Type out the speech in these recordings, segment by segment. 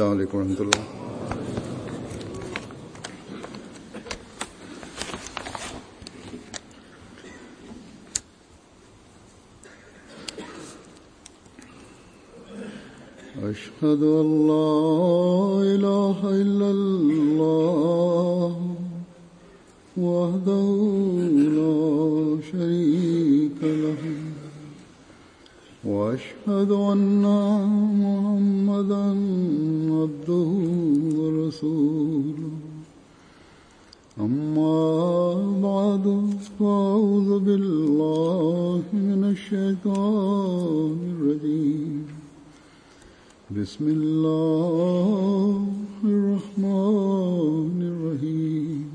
السلام عليڪم ورحمة الله. أشهد أن لا إله إلا الله وحده لا شريك له وأشهد أن محمدا عبده ورسوله أما بعد فأعوذ بالله من الشيطان الرجيم بسم الله الرحمن الرحيم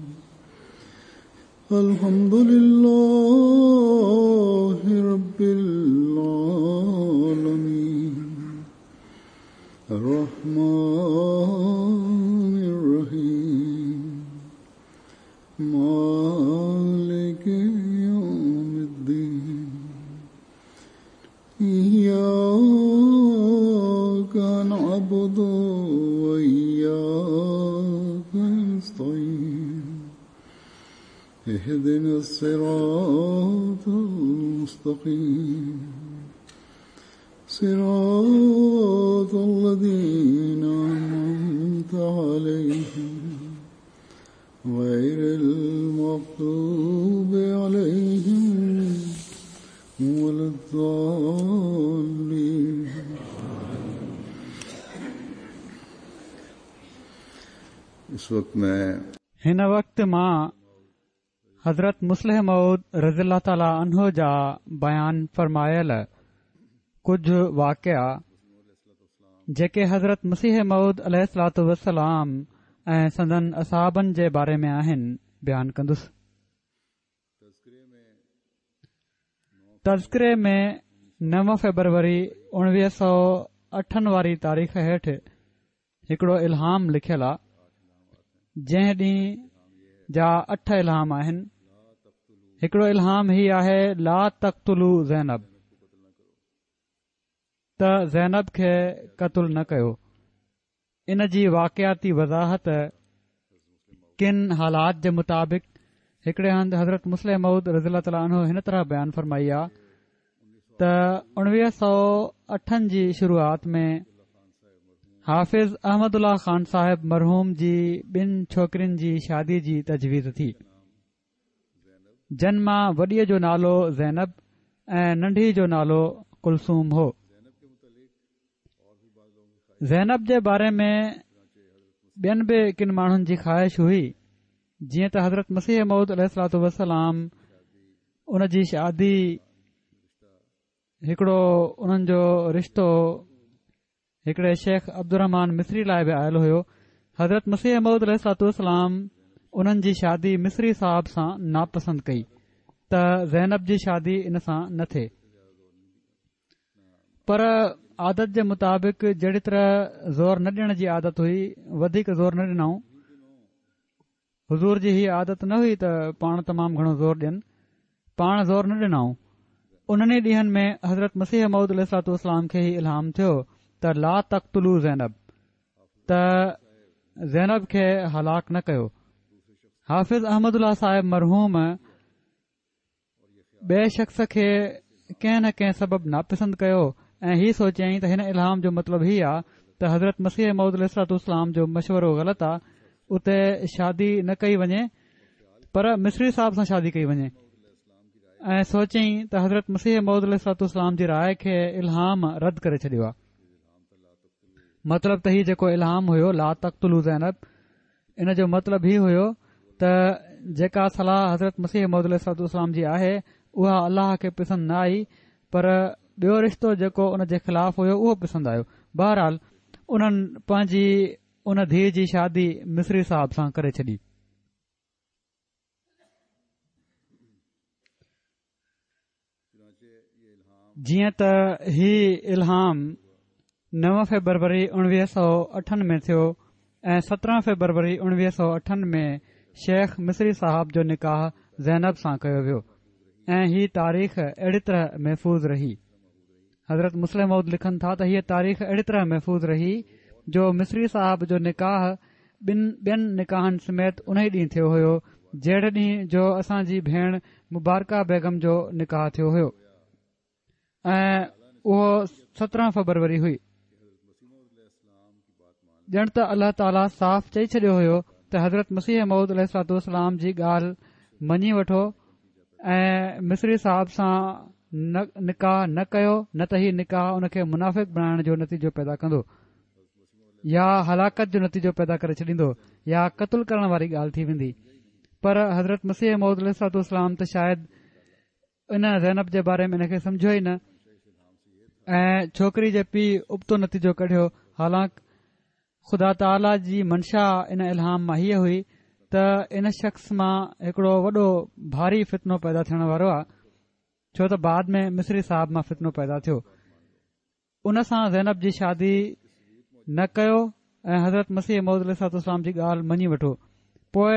الحمد لله رب العالمين الرحمن الرحيم مالك يوم الدين إياك نعبد وإياك نستعين اهدنا الصراط المستقيم صراط الذين أنعمت عليهم غير المغضوب عليهم ولا الضالين. اس وقت میں هن وقت مان حضرت مصلح موعود رضي الله تعالٰي عنه جا بيان فرمايل ڪجهه واقعا جيڪي حضرت مسيح موعود عليه الصلوة والسلام ۽ سندن اصحابن جي باري ۾ آهن بيان ڪندس. تذڪري ۾ نو فيبروري اڻويهه سؤ اٺن واري تاريخ هيٺ هڪڙو الهام لکيل آ جنهن ڏينهن جا اٺ الهام آهن هڪڙو الهام هي آهي لا تقتلوا زينب ته زينب کي قتل نه ڪيو ان جي واقعاتي وضاحت ڪن حالات جي مطابق هڪڙي هنڌ حضرت مصلح موعود رضي الله تعالٰي عنه هن طرح بيان فرمائي آ ته اڻويهه سؤ اٺن جي شروعات ۾ حافظ احمد الله خان صاحب مرحوم جي ٻن ڇوڪرين جي شادي جي تجويز ٿي جن مان وڏيء جو نالو زينب ۽ ننڍي جو نالو ڪلثوم هو. زينب جي باري ۾ ٻين به ڪن ماڻهن جي خواهش هئي جيئن ته حضرت مسيح موعود عليه الصلوة والسلام ان جي شادي هڪڙو انهن جو رشتو هڪڙي شيخ عبدالرحمان مصري لاء به آيل هيو حضرت مسيح موعود عليه الصلوة والسلام انهن جي شادي مصري صاحب سان ناپسند ڪئي ته زينب جي شادي ان سان نه ٿئي پر عادت جي مطابق جهڙي طرح زور نه ڏيڻ جي عادت هئي وڌيڪ زور نه ڏنائون حضور جي هي عادت نه هئي ته پاڻ تمام گهڻو زور ڏين پاڻ زور نه ڏنائون انهن ئي ڏينهن ۾ حضرت مسيح موعود عليه الصلوة والسلام کي هي الهام ٿيو ته لا تقتلوا زينب ته زينب کي هلاڪ نه ڪيو حافظ احمد الله صاحب مرحوم ٻئي شخص کي ڪنهن نه ڪنهن سبب ناپسند ڪيو ۽ هي سوچيائين ته هن الهام جو مطلب هي آ ته حضرت مسيح موعود عليه الصلوة والسلام جو مشورو غلط آ اتي شادي نه ڪئي وڃي پر مصري صاحب سان شادي ڪئي وڃي ۽ سوچيائين ته حضرت مسيح موعود عليه الصلوة والسلام جي راء کي الهام رد ڪري ڇڏيو آ مطلب ته هي جيڪو الهام هيو لا تقتلوا زينب ان جو مطلب هي هيو ته جيڪا صلاح حضرت مسيح موعود عليه الصلوة والسلام جي آهي اها الله کي پسند نه آئي پر ٻيو رشتو جيڪو ان جي خلاف هيو اهو پسند آيو بهرحال انهن پنهنجي ان ڌيء جي شادي مصري صاحب سان ڪري ڇڏي. جيئن ته هي الهام نو فيبروري اڻويهه سؤ اٺن ۾ ٿيو ۽ 17 فيبروري اڻويهه سؤ اٺن ۾ شيخ مصري صاحب جو نڪاح زينب سان ڪيو ويو ۽ هي تاريخ اهڙي طرح محفوظ رهي. حضرت مصلح موعود لکن ٿا ته هيء تاريخ اهڙي طرح محفوظ رهي جو مصري صاحب جو نڪاح ٻن ٻين نڪاحن سميت انهي ڏينهن ٿيو هيو جهڙي ڏينهن جو اسان جي ڀيڻ مبارڪه بيگم جو نڪاح ٿيو هيو ۽ اهو 17 فبروري هئي. ڄڻ ته الله تعاليٰ صاف چئي ڇڏيو هيو ته حضرت مسيح موعود عليه الصلوة والسلام جي ڳالهه مڃي وٺو ۽ مصري صاحب سان نڪاح نه ڪيو نه ته هي نڪاح ان کي منافق بڻائڻ جو نتيجو پيدا ڪندو يا هلاڪت جو نتيجو پيدا ڪري ڇڏيندو يا قتل ڪرڻ واري ڳالهه ٿي ويندي پر حضرت مسيح موعود عليه الصلوة والسلام ته شايد ان زينب جي باري ۾ ان کي سمجهيو ئي نه ۽ ڇوڪري جي پيء ابتو نتيجو ڪڍيو حالانڪ خدا تعاليٰ جي منشا ان الهام مان هيء هئي ته ان شخص مان هڪڙو وڏو ڀاري فتنو پيدا ٿيڻ وارو آهي ڇو ته بعد ۾ مصري صاحب مان فتنو پيدا ٿيو ان سان زينب جي شادي نه ڪيو ۽ حضرت مسيح موعود عليه الصلوة والسلام جي ڳالهه مڃي وٺو پوء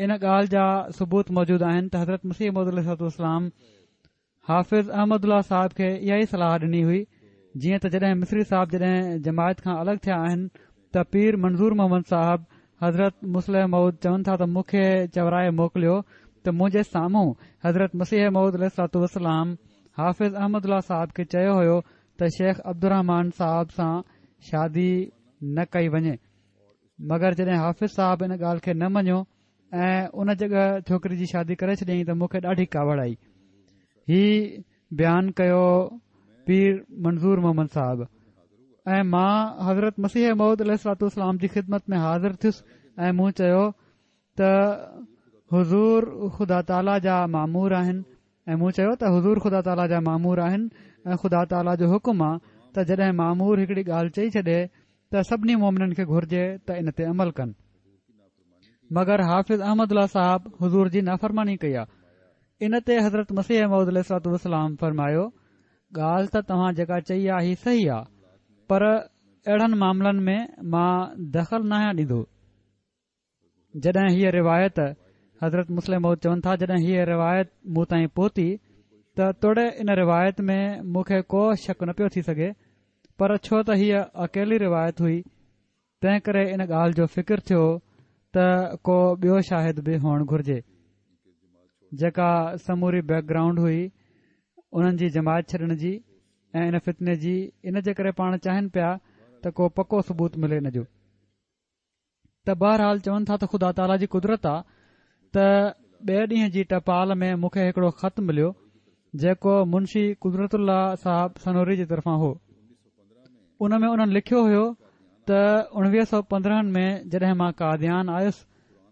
ان ڳالهه جا ثبوت موجود آهن ته حضرت مسيح موعود عليه الصلوة والسلام حافظ احمد الله صاحب کي اها ئي صلاح ڏني هئي جيئن ته جڏهن مصري صاحب جڏهن جماعت کان الڳ ٿيا آهن ته پير منظور محمد صاحب حضرت مصلح موعود چون ٿا ته مون کي چورائي موڪليو ته منهنجي سامهون حضرت مسيح موعود عليه الصلوة والسلام حافظ احمد الله صاحب کي چيو هيو ته شيخ عبدالرحمان صاحب سان شادي نه ڪئي وڃي مگر جڏهن حافظ صاحب ان ڳالهه کي نه مڃيو ۽ ان جڳهه ڇوڪري جي شادي ڪري ڇڏيائين ته مون کي ڏاڍي ڪاوڙ آئي هي بيان ڪيو پير منظور محمد صاحب ۽ مان حضرت مسيح موعود عليه الصلوة والسلام جي خدمت ۾ حاضر ٿيس ۽ مون چيو ته حضور خدا تعاليٰ جا مامور آهن ۽ مون چيو ته حضور خدا تعاليٰ جا مامور آهن ۽ خدا تعاليٰ جو حڪم آ ته جڏهن مامور هڪڙي ڳالهه چئي ڇڏي ته سڀني مومنن کي گهرجي ته ان تي عمل ڪن مگر حافظ احمد الله صاحب حضور جي نافرماني ڪئي آ ان تي حضرت مسيح موعود عليه الصلوة والسلام فرمايو ڳالهه ته توهان جيڪا چئي آ هي صحيح آ پر اهڙن معاملن ۾ مان دخل ناهيان ڏيندو جڏهن هيء روايت حضرت مصلح موعود چون ٿا جڏهن هيء روايت مون تائين پهتي ته توڙي ان روايت ۾ مون کي ڪو شڪ نه پيو ٿي سگهي پر ڇو ته هيء اڪيلي روايت هئي تنهن ڪري ان ڳالهه جو فڪر ٿيو ته ڪو ٻيو شاهد به هئڻ گهرجي جيڪا سموري بيڪ گرائونڊ هئي انهن جي جماعت ڇڏڻ جي ۽ ان فتني جي ان جي ڪري پاڻ چاهين پيا ته ڪو پڪو ثبوت ملي ان جو ته بهرحال چون ٿا ته خدا تعاليٰ جي قدرت آ ته ٻئي ڏينهن جي ٽپال ۾ مون کي هڪڙو خط مليو جيڪو منشي قدرت الله صاحب سنوري جي طرفان هو ان ۾ انهن لکيو هيو ته 1915 ۾ جڏهن مان قاديان آيس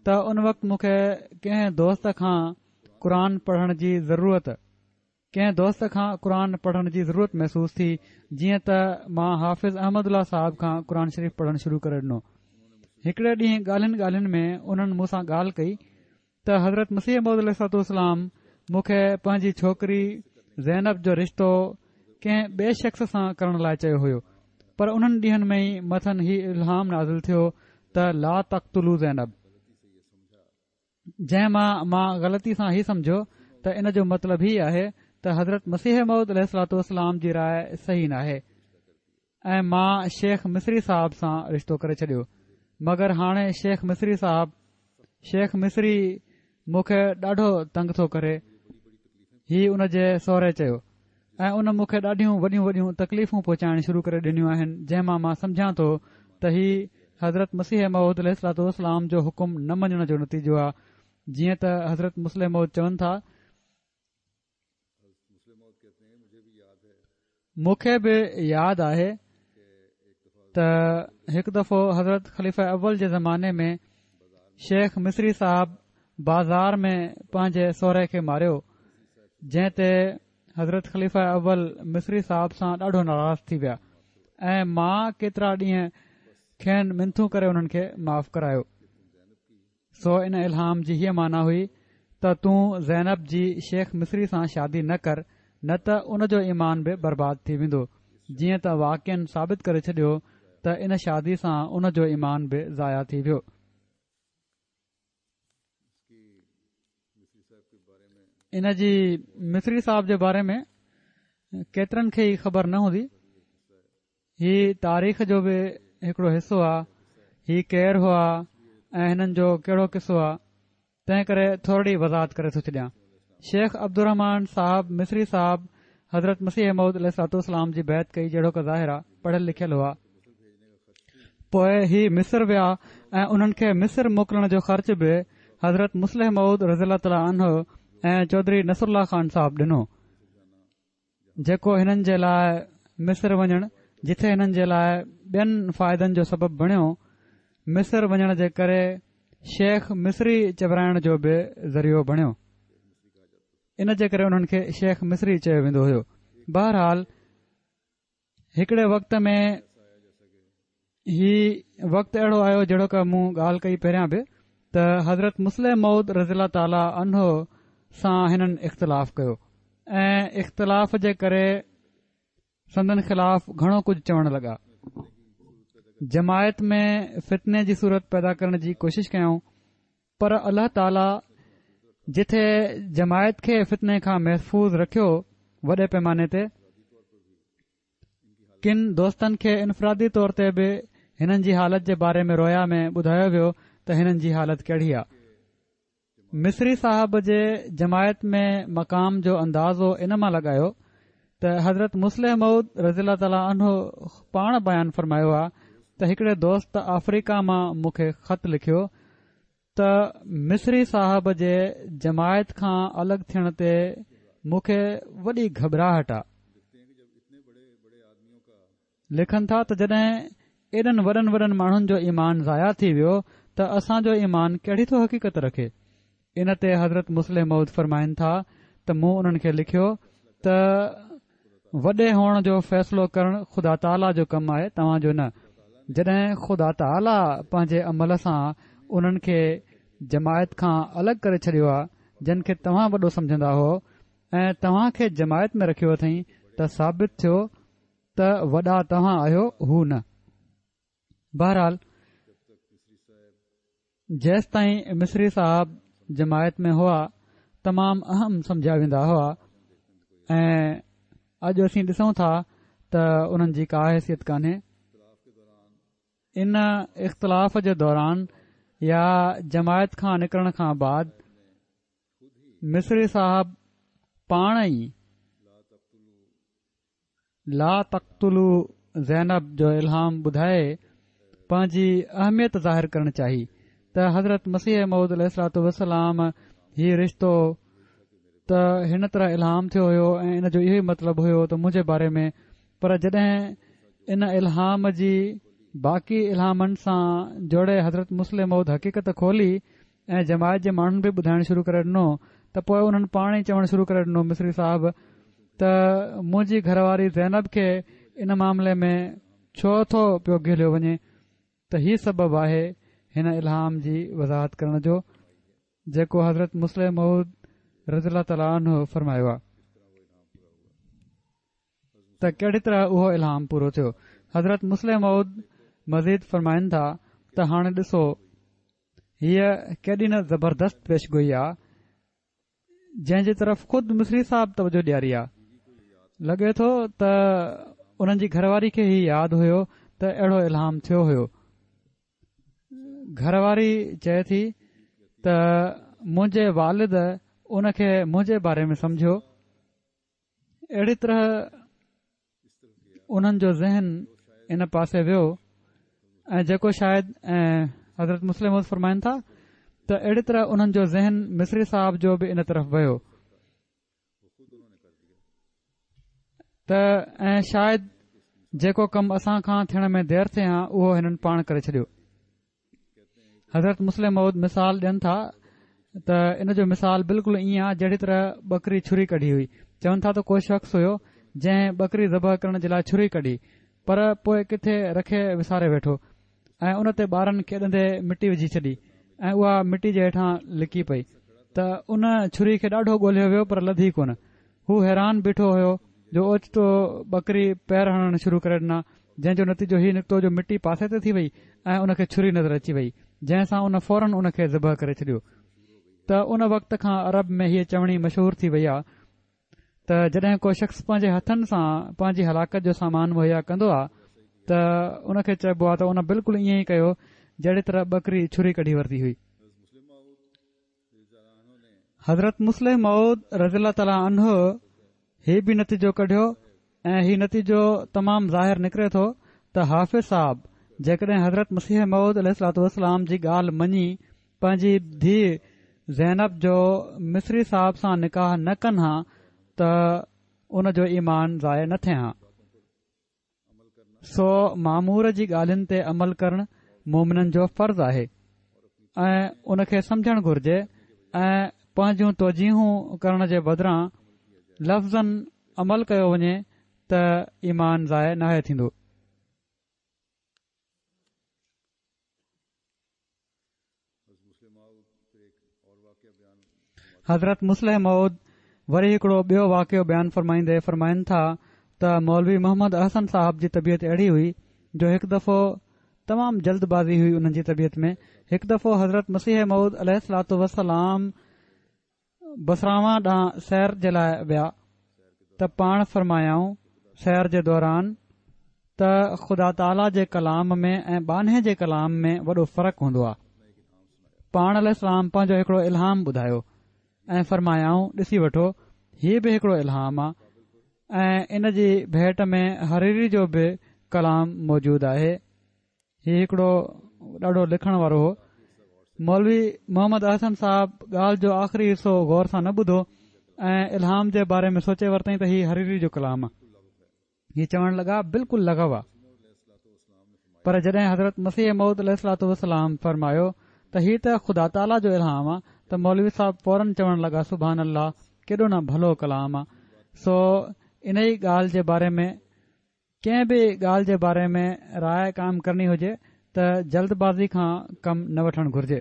ته ان وقت مون کي ڪنهن دوست کان قرآن پڙهڻ جي ضرورت ڪنهن دوست کان قرآن پڙهڻ جي ضرورت محسوس ٿي، جيئن ته مان حافظ احمد الله صاحب کان قرآن شريف پڙهڻ شروع ڪري ڏنو. هڪڙي ڏينهن ڳالهين ڳالهين ۾ انهن مون سان ڳالهه ڪئي ته حضرت مسيح موعود عليه الصلوة والسلام مون کي پنهنجي ڇوڪري زينب جو رشتو ڪنهن ٻئي شخص سان ڪرڻ لاء چيو هيو پر انهن ڏينهن ۾ ئي مٿن هي الهام نازل ٿيو ته لا تقتلوا زينب. جنهن مان مان غلطي سان هي سمجهيو ته ان جو مطلب هي آهي ته حضرت مسيح موعود عليه الصلوة والسلام جي راء صحيح ناهي ۽ مان شيخ مصري صاحب سان رشتو ڪري ڇڏيو مگر هاڻي شيخ مصري صاحب شيخ مصري مون کي ڏاڍو تنگ ٿو ڪري هي ان جي سهري چيو ۽ ان مون کي ڏاڍيون وڏيون وڏيون تڪليفون پهچائڻ شروع ڪري ڏنيون آهن جنهن مان مان سمجهان ٿو ته هي حضرت مسيح موعود عليه الصلوة والسلام جو حڪم نه مڃڻ جو نتيجو آهي جيئن ته حضرت مصلح موعود چون ٿا مون کي به ياد آهي ته هڪ دفعو حضرت خليفه اول جي زماني ۾ شيخ مصري صاحب بازار ۾ پنهنجي سهري کي ماريو جنهن تي حضرت خليفه اول مصري صاحب سان ڏاڍو ناراض ٿي ويا ۽ مان ڪيترا ڏينهن کين منٿون ڪري انهن کي معاف ڪرايو سو ان الهام جي هيء معنيٰ هئي ته تون زينب جي شيخ مصري سان شادي نه ڪر نه ته ان جو ايمان به برباد ٿي ويندو جيئن ته واقعن ثابت ڪري ڇڏيو ته ان شادي سان ان جو ايمان به ضايع ٿي ويو. ان جي مصري صاحب جي باري ۾ ڪيترن کي ئي خبر نه هوندي هي تاريخ جو به هڪڙو حصو آ، هي ڪير هئا ۽ هنن جو ڪهڙو قصو آ، تنهن ڪري ٿورڙي وضاحت ڪري ٿو ڇڏيان. شيخ عبدالرحمان صاحب مصري صاحب حضرت مسيح موعود عليه الصلوة والسلام جي بيعت ڪئي جهڙوڪ ظاهر آ پڙهيل لکيل هئا. پوء هي مصر ويا ۽ انهن کي مصر موڪلڻ جو خرچ به حضرت مصلح موعود رضي الله تعالٰي عنه ۽ چوڌري نصرالله خان صاحب ڏنو. جيڪو هنن جي لاء مصر وڃڻ جٿي هنن جي لاء ٻين فائدن جو سبب بڻيو، مصر وڃڻ جي ڪري شيخ مصري چورائڻ جو به ذريعو بڻيو. ان جي ڪري انهن کي شيخ مصري چيو ويندو هيو. بهرحال هڪڙي وقت ۾ هي وقت اهڙو آيو جهڙوڪ مون ڳالهه ڪئي پهريان به ته حضرت مصلح موعود رضي الله تعاليٰ عنه سان هنن اختلاف ڪيو ۽ اختلاف جي ڪري سندن خلاف گهڻو ڪجهه چوڻ لڳا جماعت ۾ فتني جي صورت پيدا ڪرڻ جي ڪوشش ڪيائون پر الله تعاليٰ جٿي جماعت کي فتني کان محفوظ رکيو وڏي پيماني تي ڪن دوستن کي انفرادي طور تي به هنن جي حالت جي باري ۾ رويا ۾ ٻڌايو ويو ته هنن جي حالت ڪهڙي آ. مصري صاحب جي جماعت ۾ مقام جو اندازو ان مان لڳايو ته حضرت مصلح موعود رضي الله تعالٰي عنه پاڻ بيان فرمايو آ ته هڪڙي دوست آفريڪا مان مون کي خط لکيو ته مصري صاحب جي جماعت کان الڳ ٿيڻ تي مون کي وڏي گهٻراهٽ آ. لکن ٿا ته جڏهن ايڏن وڏن وڏن ماڻهن جو ايمان ضايع ٿي ويو ته اسان جو ايمان ڪهڙي ٿو حقيقت رکي؟ ان تي حضرت مصلح موعود فرمائن ٿا ته مون انهن کي لکيو ته وڏي هئڻ جو فيصلو ڪرڻ خدا تعاليٰ جو ڪم آهي توهان جو نه. جڏهن خدا تعاليٰ پنهنجي عمل سان انهن کي جماعت کان الڳ ڪري ڇڏيو آهي جن کي توهان وڏو سمجهندا هئو ۽ توهان کي جماعت ۾ رکيو اٿئين ته ثابت ٿيو ته وڏا توهان آهيو هو نه. بهرحال جيستائين مصري صاحب جماعت ۾ هئا تمام اهم سمجهيا ويندا هئا ۽ اڄ اسين ڏسون ٿا ته انهن جي ڪا حيثيت ڪانهي ان اختلاف جي دوران يا جماعت کان نڪرڻ کان بعد مصري صاحب پاڻ ئي لا تقتلوا زينب جو الهام ٻڌائي پنهنجي اهميت ظاهر ڪرڻ چاهي ته حضرت مسيح موعود عليه الصلوة والسلام هي رشتو ته هن طرح الهام ٿيو هيو ۽ ان جو اهو ئي مطلب هيو ته منهنجي باري ۾ پر جڏهن ان الهام جي باقي الهامن سان جوڙي حضرت مصلح موعود حقيقت کولي ۽ جماعت جي ماڻهن به ٻڌائڻ شروع ڪري ڏنو ته پوء انهن پاڻ ئي چوڻ شروع ڪري ڏنو مصري صاحب ته منهنجي گهر واري زينب کي ان معاملي ۾ ڇو ٿو پيو گهليو وڃي ته هي سبب آهي هن الهام جي وضاحت ڪرڻ جو جيڪو حضرت مصلح موعود رضي الله تعالٰي عنه فرمايو آهي ته ڪهڙي طرح اهو الهام پورو ٿيو حضرت مصلح موعود مزيد فرمائن ٿا ته هاڻي ڏسو هيء ڪيڏي نه زبردست پيشگوئي آ جنهن جي طرف خود مصري صاحب توجه ڏياري آ لڳي ٿو ته انهن جي گهر واري کي هي ياد هيو ته اهڙو الهام ٿيو هيو گهر واري چئي ٿي ته منهنجي والد ان کي منهنجي باري ۾ سمجهيو اهڙي طرح انهن جو ذهن ان پاسي ويو ۽ جيڪو شايد ۽ حضرت مصلح موعود فرمائن ٿا ته اهڙي طرح انهن جو ذهن مصري صاحب جو به ان طرف ويو ته ۽ شايد جيڪو ڪم اسان کان ٿيڻ ۾ دير ٿئي ها اهو هنن پاڻ ڪري ڇڏيو حضرت مصلح موعود مثال ڏين ٿا ته ان جو مثال بلڪل ائين آهي جهڙي طرح ٻڪري ڇري ڪڍي هئي چون ٿا ته ڪو شخص هيو جنهن ٻڪري ذبح ڪرڻ جي لاء ڇري ڪڍي پر پوء ڪٿي رکي وساري ويٺو ۽ ان تي ٻارن کيڏندي مٽي وجهي ڇڏي ۽ اها مٽي جي هيٺان لڪي پئي ته ان ڇري کي ڏاڍو ڳولهيو ويو پر لڌي ڪونه هو حيران بيٺو هيو جو اوچتو ٻڪري پير هڻڻ شروع ڪري ڏنا، جنهن جو نتيجو هي نڪتو جو مٽي پاسي تي ٿي وئي ۽ ان کي ڇري نظر اچي وئي، جنهن سان ان فورن ان کي ذبح ڪري ڇڏيو. ته ان وقت کان عرب ۾ هيء چوڻي مشهور ٿي وئي آ ته جڏهن ڪو شخص پنهنجي هٿن سان پنهنجي هلاڪت جو سامان مهيا ڪندو آ ته ان کي چئبو آهي ته ان بلڪل ائين ئي ڪيو جهڙي طرح ٻڪري ڇري ڪڍي ورتي هئي. حضرت مصلح موعود رضي الله تعالٰي عنه هي به نتيجو ڪڍيو ۽ هي نتيجو تمام ظاهر نڪري ٿو ته حافظ صاحب جيڪڏهن حضرت مسيح موعود عليه الصلوة والسلام جي ڳالهه مڃي پنهنجي ڌيء زينب جو مصري صاحب سان نڪاح نه ڪن ها ته ان جو ايمان ضايع نه ٿئي ها. سو مامور جي ڳالهين تي عمل ڪرڻ مومنن جو فرض آهي ۽ ان کي سمجهڻ گهرجي ۽ پنهنجون توجيهون ڪرڻ جي بدران لفظاً عمل ڪيو وڃي ته ايمان ضايع ناهي ٿيندو. حضرت مصلح موعود وري هڪڙو ٻيو واقعو بيان فرمائيندي فرمائن ٿا ته مولوي محمد احسن صاحب جي طبيعت اهڙي هئي جو هڪ دفعو تمام جلد بازي هئي انهن جي طبيعت ۾ هڪ دفعو حضرت مسيح موعود عليه الصلوة والسلام بصراوان ڏانهن سير جي لاء ويا ته پاڻ فرمايائون سير جي دوران ته خدا تعاليٰ جي ڪلام ۾ ۽ ٻانهي جي ڪلام ۾ وڏو فرق هوندو آهي. پاڻ عليه السلام پنهنجو هڪڙو الهام ٻڌايو ۽ فرمايائون ڏسي وٺو هي به هڪڙو الهام آهي ۽ ان جي ڀيٽ ۾ حريري جو به ڪلام موجود آهي. هي هڪڙو ڏاڍو لکڻ وارو هو. مولوي محمد احسن صاحب ڳالهه جو آخري حصو غور سان نه ٻڌو ۽ الهام جي باري ۾ سوچي ورتائين ته هي حريري جو ڪلام آ. هي چوڻ لڳا بلڪل لغو آ. پر جڏهن حضرت مسيح موعود عليه الصلوة والسلام فرمايو ته هي ته خدا تعاليٰ جو الهام آ ته مولوي صاحب فورن چوڻ لڳا سبحان الله ڪيڏو نه ڀلو ڪلام آ. سو انهي ڳالهه جي باري ۾ ڪنهن به ڳالهه جي باري ۾ راء قائم ڪرڻي هجي ته جلد بازي کان ڪم نه وٺڻ گهرجي.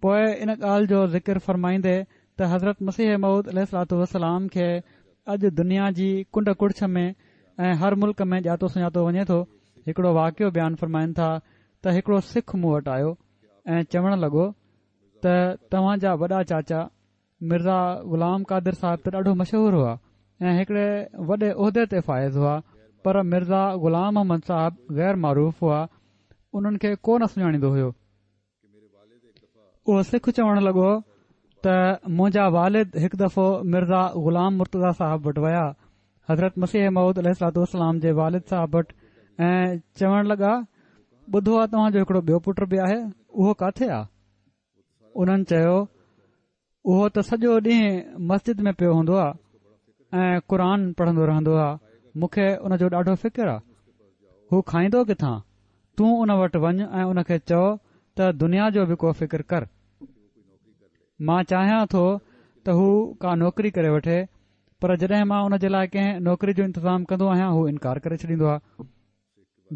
پوء ان ڳالهه جو ذڪر فرمائيندي ته حضرت مسيح موعود عليه الصلوة والسلام کي اڄ دنيا جي ڪنڊ ڪڙڇ ۾ ۽ هر ملڪ ۾ ڄاتو سڃاتو وڃي ٿو، هڪڙو واقعو بيان فرمائن ٿا ته هڪڙو سک مون وٽ آيو ۽ چوڻ لڳو ته توهان جا وڏا چاچا مرزا غلام قادر صاحب ته ڏاڍو مشهور هئا ۽ هڪڙي وڏي عهدي تي فائز هئا پر مرزا غلام احمد صاحب غير معروف هئا انهن کي ڪو نه سڃاڻيندو هيو. اهو سک چوڻ لڳو ته منهنجا والد هڪ دفعو مرزا غلام مرتضيٰ صاحب وٽ ويا حضرت مسيح موعود عليه الصلوة والسلام جي والد صاحب وٽ ۽ چوڻ لڳا ٻڌو آ توهان جو هڪڙو ٻيو پٽ به آهي اهو ڪاٿي آ؟ انهن چيو، اهو ته سڄو ڏينهن مسجد ۾ پيو هوندو آهي ۽ قرآن پڙهندو رهندو آهي، مون کي ان جو ڏاڍو فڪر آهي. هو کائيندو ڪٿان؟ تون ان وٽ وڃ ۽ ان کي چئو ته دنيا جو به ڪو فڪر ڪر. مان چاهيان ٿو ته هو ڪا نوڪري ڪري وٺي، پر جڏهن مان ان جي لاء ڪنهن نوڪري جو انتظام ڪندو آهيان هو انڪار ڪري ڇڏيندو آهي.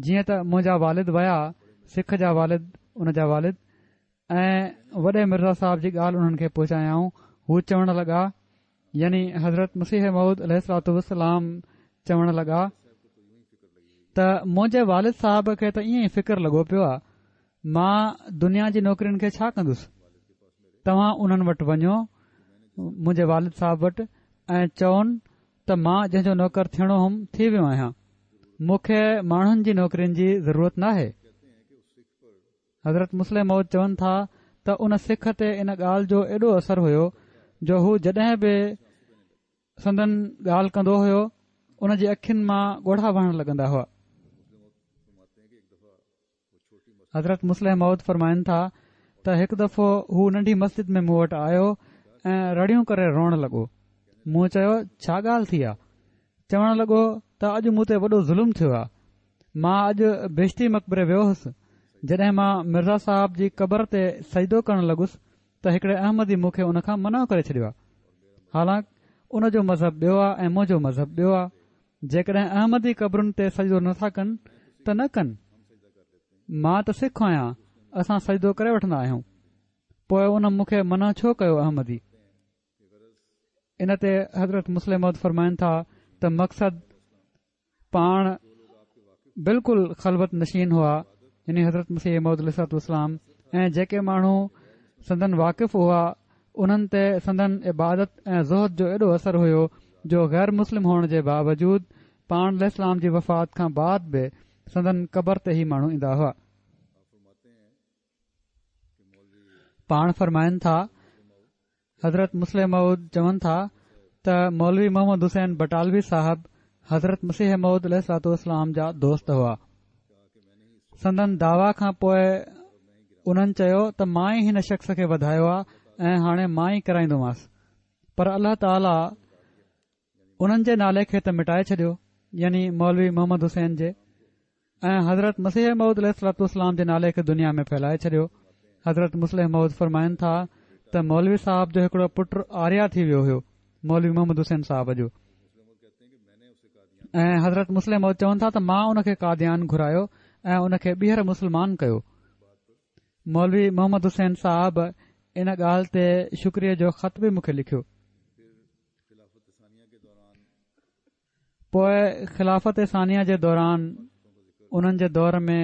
جيئن ته منهنجا والد ويا، سک جا والد، ان جا والد، ۽ وڏي مرزا صاحب جي ڳالهه انهن کي پهچايائون، هو چوڻ لڳا، يعني حضرت مسيح موعود عليه الصلوة والسلام چوڻ لڳا ته منهنجي والد صاحب کي ته ائين ئي فڪر لڳو پيو آ، مان دنيا جي نوڪرين کي ڇا ڪندس؟ توهان انهن وٽ وڃو، منهنجي والد صاحب وٽ، ۽ چون ته مان جنهن جو نوڪر ٿيڻو هوم ٿي ويو آهيان، مون کي ماڻهن جي نوڪرين جي ضرورت ناهي. حضرت مصلح موعود چون ٿا ته ان سک تي ان ڳالهه جو ايڏو اثر هيو جو هو جڏهن به سندن ڳالهه ڪندو هيو ان جي اکين مان ڳوڙها وهڻ لڳندا هئا. حضرت مصلح موعود فرمائن ٿا ته هڪ دفعو هو ننڍي مسجد ۾ مون وٽ آيو ۽ رڙيون ڪري روئڻ لڳو. مون چيو ڇا ڳالهه ٿي آ؟ چوڻ لڳو ته اڄ مون تي وڏو ظلم ٿيو آ. مان اڄ بهشتي مقبري ويو هوس. جڏهن مان مرزا صاحب جي قبر تي سجدو ڪرڻ لڳس ته هڪڙي احمدي مون کي ان کان منع ڪري ڇڏيو آ. حالانڪ ان جو مذهب ٻيو آ ۽ منهنجو مذهب ٻيو آ. جيڪڏهن احمدي قبرن تي سجدو نه ٿا ڪن ته نه ڪن. مان ته سک آهيان، اسان سجدو ڪري وٺندا آهيون. پوء ان مون کي منع ڇو ڪيو احمدي؟ ان تي حضرت مصلح موعود فرمائن ٿا ته مقصد پاڻ بلڪل خلوت نشين هئا يعني حضرت مسيح موعود عليه الصلوة والسلام ۽ جيڪي ماڻهو سندن واقف هئا انهن تي سندن عبادت ۽ زهد جو ايڏو اثر هيو جو غير مسلم هئڻ جي باوجود پاڻ عليه السلام جي وفات کان بعد به سندن قبر تي هي ماڻهو ايندا هئا. پاڻ فرمائن ٿا، حضرت مصلح موعود چون ٿا ته مولوي محمد حسين بٽالوي صاحب حضرت مسيح موعود عليه الصلوة والسلام جا دوست هئا. سندن دعويٰ کان پوء انهن چيو ته مان ئي هن شخص کي وڌايو آ ۽ هاڻي مان ئي ڪيرائيندومانس پر الله تعاليٰ انهن جي نالي کي ته مٽائي ڇڏيو يعني مولوي محمد حسين جي ۽ حضرت مسيح موعود عليه الصلوة والسلام جي نالي کي دنيا ۾ ڦهلائي ڇڏيو. حضرت مصلح موعود فرمائن ٿا ته مولوي صاحب جو هڪڙو پٽ آريا ٿي ويو هيو مولوي محمد حسين صاحب جو ۽ حضرت مصلح موعود چون ٿا ته مان ان کي قاديان گهرايو ۽ ان کي ٻيهر مسلمان ڪيو. مولوي محمد حسين صاحب ان ڳالهه تي شڪريي جو خط به مون کي لکيو. پوء خلافت ثانيه جي دوران انهن جي دور ۾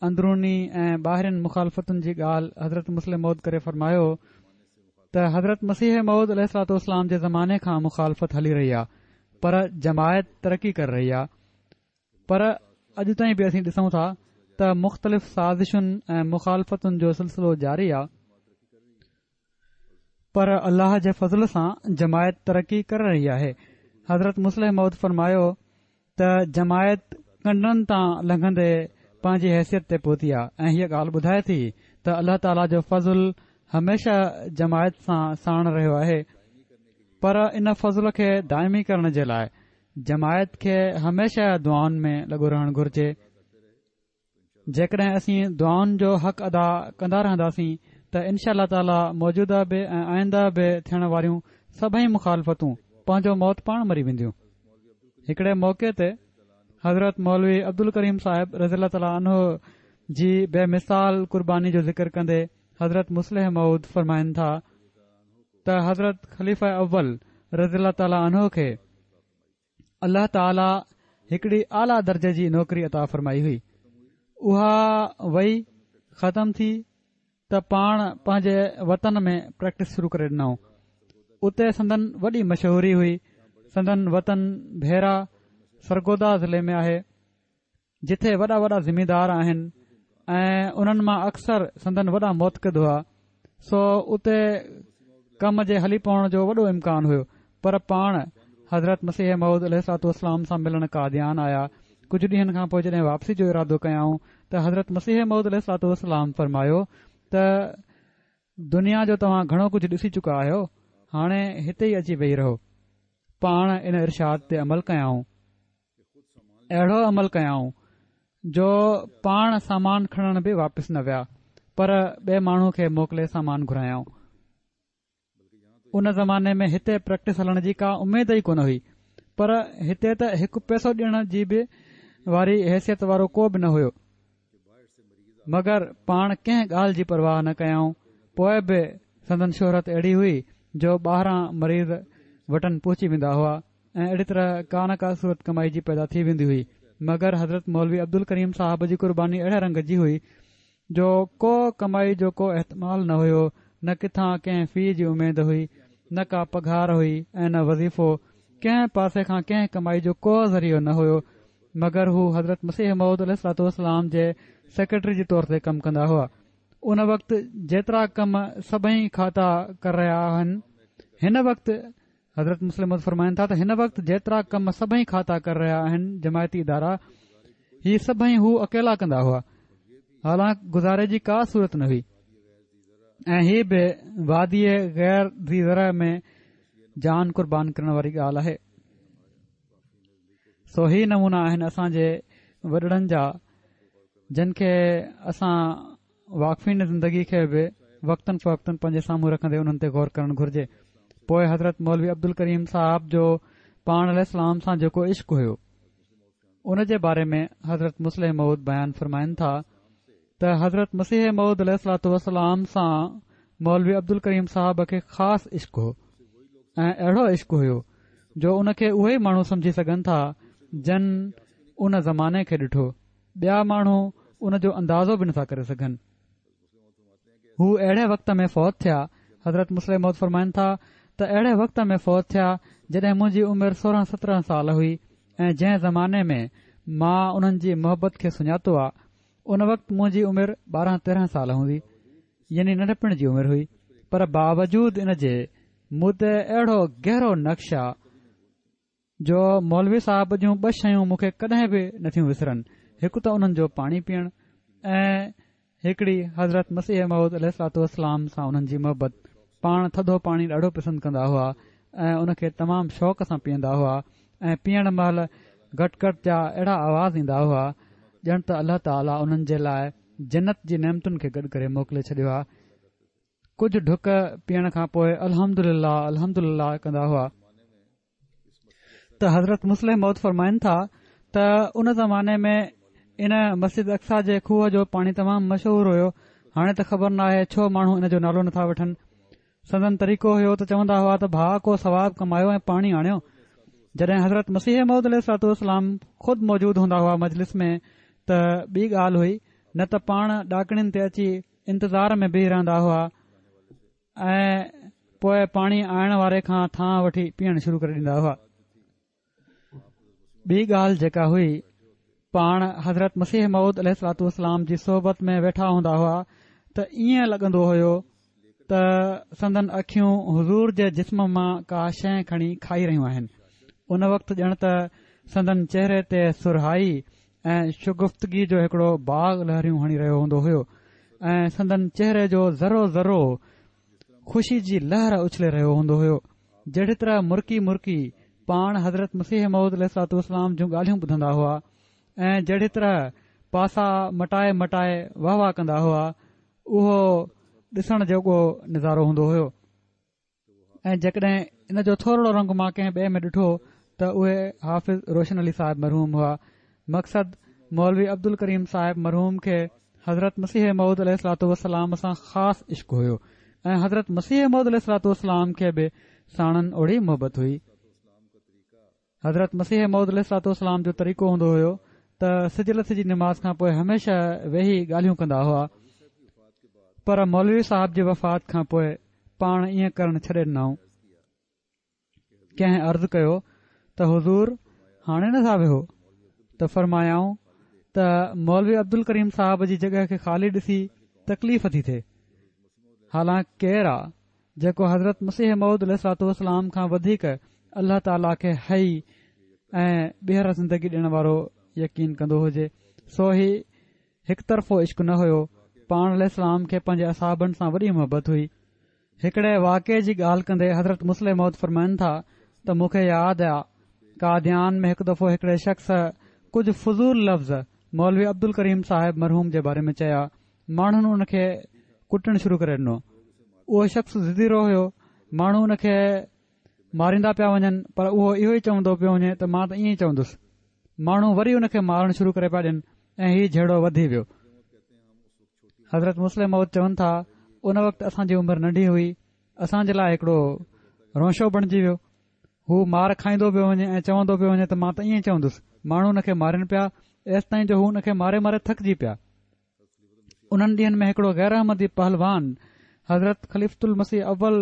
اندروني ۽ ٻاهرين مخالفتن جي ڳالهه حضرت مصلح موعود ڪري فرمايو ته حضرت مسيح موعود عليه الصلوة والسلام جي زماني کان مخالفت هلي رهي آهي پر جماعت ترقي ڪري رهي آهي پر اڄ تائين به اسين ڏسون ٿا ته مختلف سازشن ۽ مخالفتن جو سلسلو جاري آهي پر الله جي فضل سان جماعت ترقي ڪري رهي آهي. حضرت مصلح موعود فرمايو ته جماعت ڪنڊن تان لنگهندي پنهنجي حيثيت تي پهتي آهي ۽ هيء ڳالهه ٻڌائي ٿي ته الله تعاليٰ جو فضل هميشه جماعت سان ساڻ رهيو آهي پر ان فضل کي دائمي ڪرڻ جي لاء جماعت کي هميشه دعائن ۾ لڳو رهڻ گهرجي. جيڪڏهن اسين دعائن جو حق ادا ڪندا رهنداسين ته انشاء الله تعاليٰ موجوده به ۽ آئنده به ٿيڻ واريون سڀئي مخالفتون پنهنجو موت پاڻ مري وينديون. هڪڙي موقعي تي حضرت مولوي عبدالڪريم صاحب رضي الله تعاليٰ عنه جي بي مثال قرباني جو ذڪر ڪندي حضرت مصلح موعود فرمائن ٿا ته حضرت خليفه اول رضي الله تعاليٰ عنه کي الله تعاليٰ هڪڙي اعليٰ درجي جي نوڪري عطا فرمائي هئي اها وئي ختم ٿي ته پاڻ پنهنجي وطن ۾ پريڪٽس شروع ڪري ڏنائون اتي سندن وڏي مشهوري هئي سندن وطن ڀيرا سرگوڌا ضلعي ۾ آهي جتي وڏا وڏا زميندار آهن ۽ انهن مان اڪثر سندن وڏا معتقد هئا سو اتي ڪم جي هلي پوڻ جو وڏو امڪان هيو پر پاڻ حضرت مسيح موعود عليه الصلوة والسلام سان ملڻ قاديان آيا ڪجهه ڏينهن کان پوء جڏهن واپسي جو ارادو ڪيائون ته حضرت مسيح موعود عليه الصلوة والسلام فرمايو ته دنيا جو توهان گهڻو ڪجهه ڏسي چڪا آهيو هاڻي هتي ئي اچي ويهي رهو پاڻ ان ارشاد تي عمل ڪيائون اهڙو عمل ڪيائون جو پاڻ سامان کڻڻ به واپس نه ويا پر ٻئي ماڻهو کي موڪلي سامان گهرايائون. ان زماني ۾ هتي پريڪٽس هلڻ جي ڪا اميد ئي ڪونه هئي پر هتي ته هڪ پئسو ڏيڻ جي به واري حيثيت وارو ڪو به نه هيو. مگر پاڻ ڪنهن ڳالهه جي پرواهه نه ڪيائون، پوء به سندن شهرت اهڙي هئي جو ٻاهران مريض وٽن پهچي ويندا هئا ۽ اهڙي طرح ڪا نه ڪا صورت ڪمائي جي پيدا ٿي ويندي هئي، مگر حضرت مولوي عبدالڪريم صاحب جي قرباني اهڙي رنگ جي هئي جو ڪو ڪمائي جو ڪو احتمال نه هيو، نه ڪٿان ڪنهن في جي اميد هئي، نه ڪا پگهار هئي ۽ نه وظيفو، ڪنهن پاسي کان ڪنهن ڪمائي جو ڪو ذريعو نه هيو، مگر هو حضرت مسيح موعود عليه الصلوة والسلام جي سيڪريٽري جي طور تي ڪم ڪندا هئا. ان وقت جيترا ڪم سڀئي کاتا ڪر رهيا آهن، هن وقت حضرت مصلح موعود فرمائن ٿا ته هن وقت جيترا ڪم سڀئي کاتا ڪر رهيا آهن جماعتي ادارا هي سڀئي هو اڪيلا ڪندا هئا حالانڪ گذاري جي ڪا صورت نه هئي ۽ هي به وادي غير ذي زرع ۾ جان قربان ڪرڻ واري ڳالهه آهي. سو هي نمونا آهن اسان جي وڏڙن جا جن کي اسان واقفين زندگي کي به وقتاً فوقتاً پنهنجي سامهون رکندي انهن تي غور ڪرڻ گهرجي پوء حضرت مولوي عبدالڪريم صاحب جو پاڻ عليه السلام سان جيڪو عشق هيو ان جي باري ۾ حضرت مصلح موعود بيان فرمائن ٿا ته حضرت مسيح موعود عليه الصلوة والسلام سان مولوي عبدالڪريم صاحب کي خاص عشق هو ۽ اهڙو عشق هيو جو ان کي اهي ئي ماڻهو سمجهي سگهن ٿا جن ان زماني کي ڏٺو ٻيا ماڻهو ان جو اندازو به نٿا ڪري سگهن هو اهڙي وقت ۾ فوت ٿيا حضرت مصلح موعود فرمائن ٿا ته اهڙي وقت ۾ فوت ٿيا جڏهن منهنجي عمر 16 17 سال هئي ۽ جنهن زماني ۾ مان انهن جي محبت کي سڃاتو آ. ان وقت منهنجي عمر 12 13 سال هوندي يعني ننڍپڻ جي عمر هئي پر باوجود ان جي مون تي اهڙو گهرو نقش آ جو مولوي صاحب جون ٻه شيون مون کي ڪڏهن به نٿيون وسرن، هڪ ته انهن جو پاڻي پيئڻ ۽ هڪڙي حضرت مسيح موعود عليه الصلوة والسلام سان انهن جي محبت. پاڻ ٿڌو پاڻي ڏاڍو پسند ڪندا هئا ۽ ان کي تمام شوق سان پيئندا هئا ۽ پيئڻ مهل گٽ گٽ جا اهڙا آواز ايندا هئا ڄڻ ته الله تعاليٰ انهن جي لاء جنت جي نعمتن کي گڏ ڪري موڪلي ڇڏيو آهي. ڪجهه ڍڪ پيئڻ کان پوء الحمدلله الحمدلله ڪندا هئا. ته حضرت مصلح موعود فرمائن ٿا ته ان زماني ۾ ان مسجد اقصيٰ جي کوهه جو پاڻي تمام مشهور هيو هاڻي ته خبر ناهي ڇو ماڻهو ان جو نالو نٿا وٺن سندن طريقو هيو ته چوندا هئا ته ڀاء ڪو ثواب ڪمايو ۽ پاڻي آڻيو جڏهن حضرت مسيح موعود عليه الصلوة والسلام خود موجود هوندا هئا مجلس ۾ ته ٻي ڳالهه هئي نه ته پاڻ ڏاڪڻين تي اچي انتظار ۾ بيهي رهندا هئا ۽ پوء پاڻي آڻڻ واري کان ٿانء وٺي پيئڻ شروع ڪري ڏيندا هئا. ٻي ڳالهه جيڪا هئي، پاڻ حضرت مسيح موعود عليه الصلوة والسلام جي صحبت ۾ ويٺا هوندا هئا ته ائين لڳندو هيو ته سندن اکيون حضور جي جسم مان ڪا شيء کڻي کائي رهيون آهن. ان وقت ڄڻ ته سندن چهري تي سرهائي ۽ شگفتگي جو هڪڙو باغ لهريون هڻي رهيو هوندو هيو ۽ سندن چهري جو ذرو ذرو خوشي جي لهر اڇلي رهيو هوندو هيو جهڙي طرح مرڪي مرڪي پاڻ حضرت مسيح موعود عليه الصلوة والسلام جون ڳالهيون ٻڌندا هئا ۽ جهڙي طرح پاسا مٽائي مٽائي واه واه ڪندا هئا اهو ڏسڻ جوڳو نظارو هوندو هيو ۽ جيڪڏهن ان جو ٿورڙو رنگ مان ڪنهن ٻئي ۾ ڏٺو ته اهي حافظ روشن علي صاحب مرحوم هئا. مقصد مولوي عبدالڪريم صاحب مرحوم کي حضرت مسيح موعود عليه الصلوة والسلام سان خاص عشق هيو ۽ حضرت مسيح موعود عليه الصلوة والسلام کي به ساڻن اوڙي محبت هئي. حضرت مسيح موعود عليه الصلوة والسلام جو طريقو هوندو هيو ته سج لٿي جي نماز کان پوء هميشه ويهي ڳالهيون ڪندا هئا پر مولوي صاحب جي وفات کان پوء پاڻ ائين ڪرڻ ڇڏي ڏنائون. ڪنهن عرض ڪيو ته حضور هاڻي نه ٿا ويهو ته فرمايائون ته مولوي عبدالڪريم صاحب جي جڳهه کي خالي ڏسي تڪليف ٿي ٿئي حالانڪ ڪير آ جيڪو حضرت مسيح موعود عليه الصلوة والسلام کان وڌيڪ الله تعاليٰ کي حي ۽ ٻيهر زندگي ڏيڻ وارو يقين ڪندو هجي سو هي هڪ طرفو عشق نه هيو پاڻ عليه السلام کي پنهنجي اصحابن سان وڏي محبت هئي. هڪڙي واقعي جي ڳالهه ڪندي حضرت مصلح موعود فرمائن ٿا ته مون کي ياد آ قاديان ۾ هڪ دفعو هڪڙي شخص ڪجهه فضول لفظ مولوي عبدالڪريم صاحب مرحوم جي باري ۾ چيا ماڻهن ان کي ڪٽڻ شروع ڪري ڏنو. اهو شخص ضدي رو هيو. ماڻهو ان کي ماريندا پيا وڃن پر اهو اهو ئي چوندو پيو وڃي ته مان ته ائين ئي چوندس. ماڻهو وري ان کي مارڻ شروع ڪري پيا ڏين ۽ هي جهيڙو وڌي ويو. حضرت مصلح موعود چون ٿا ان وقت اسان جي عمر ننڍي هئي. اسان جي لاء هڪڙو رونشو بڻجي ويو. هو مار کائيندو پيو وڃي ۽ چوندو پيو وڃي ته مان ته ائين ئي چوندس. ماڻهو ان کي مارين پيا ايستائين جو هو ان کي ماري ماري ٿڪجي پيا. انهن ڏينهن ۾ هڪڙو غير احمدي پهلوان حضرت خليفة المسيح اول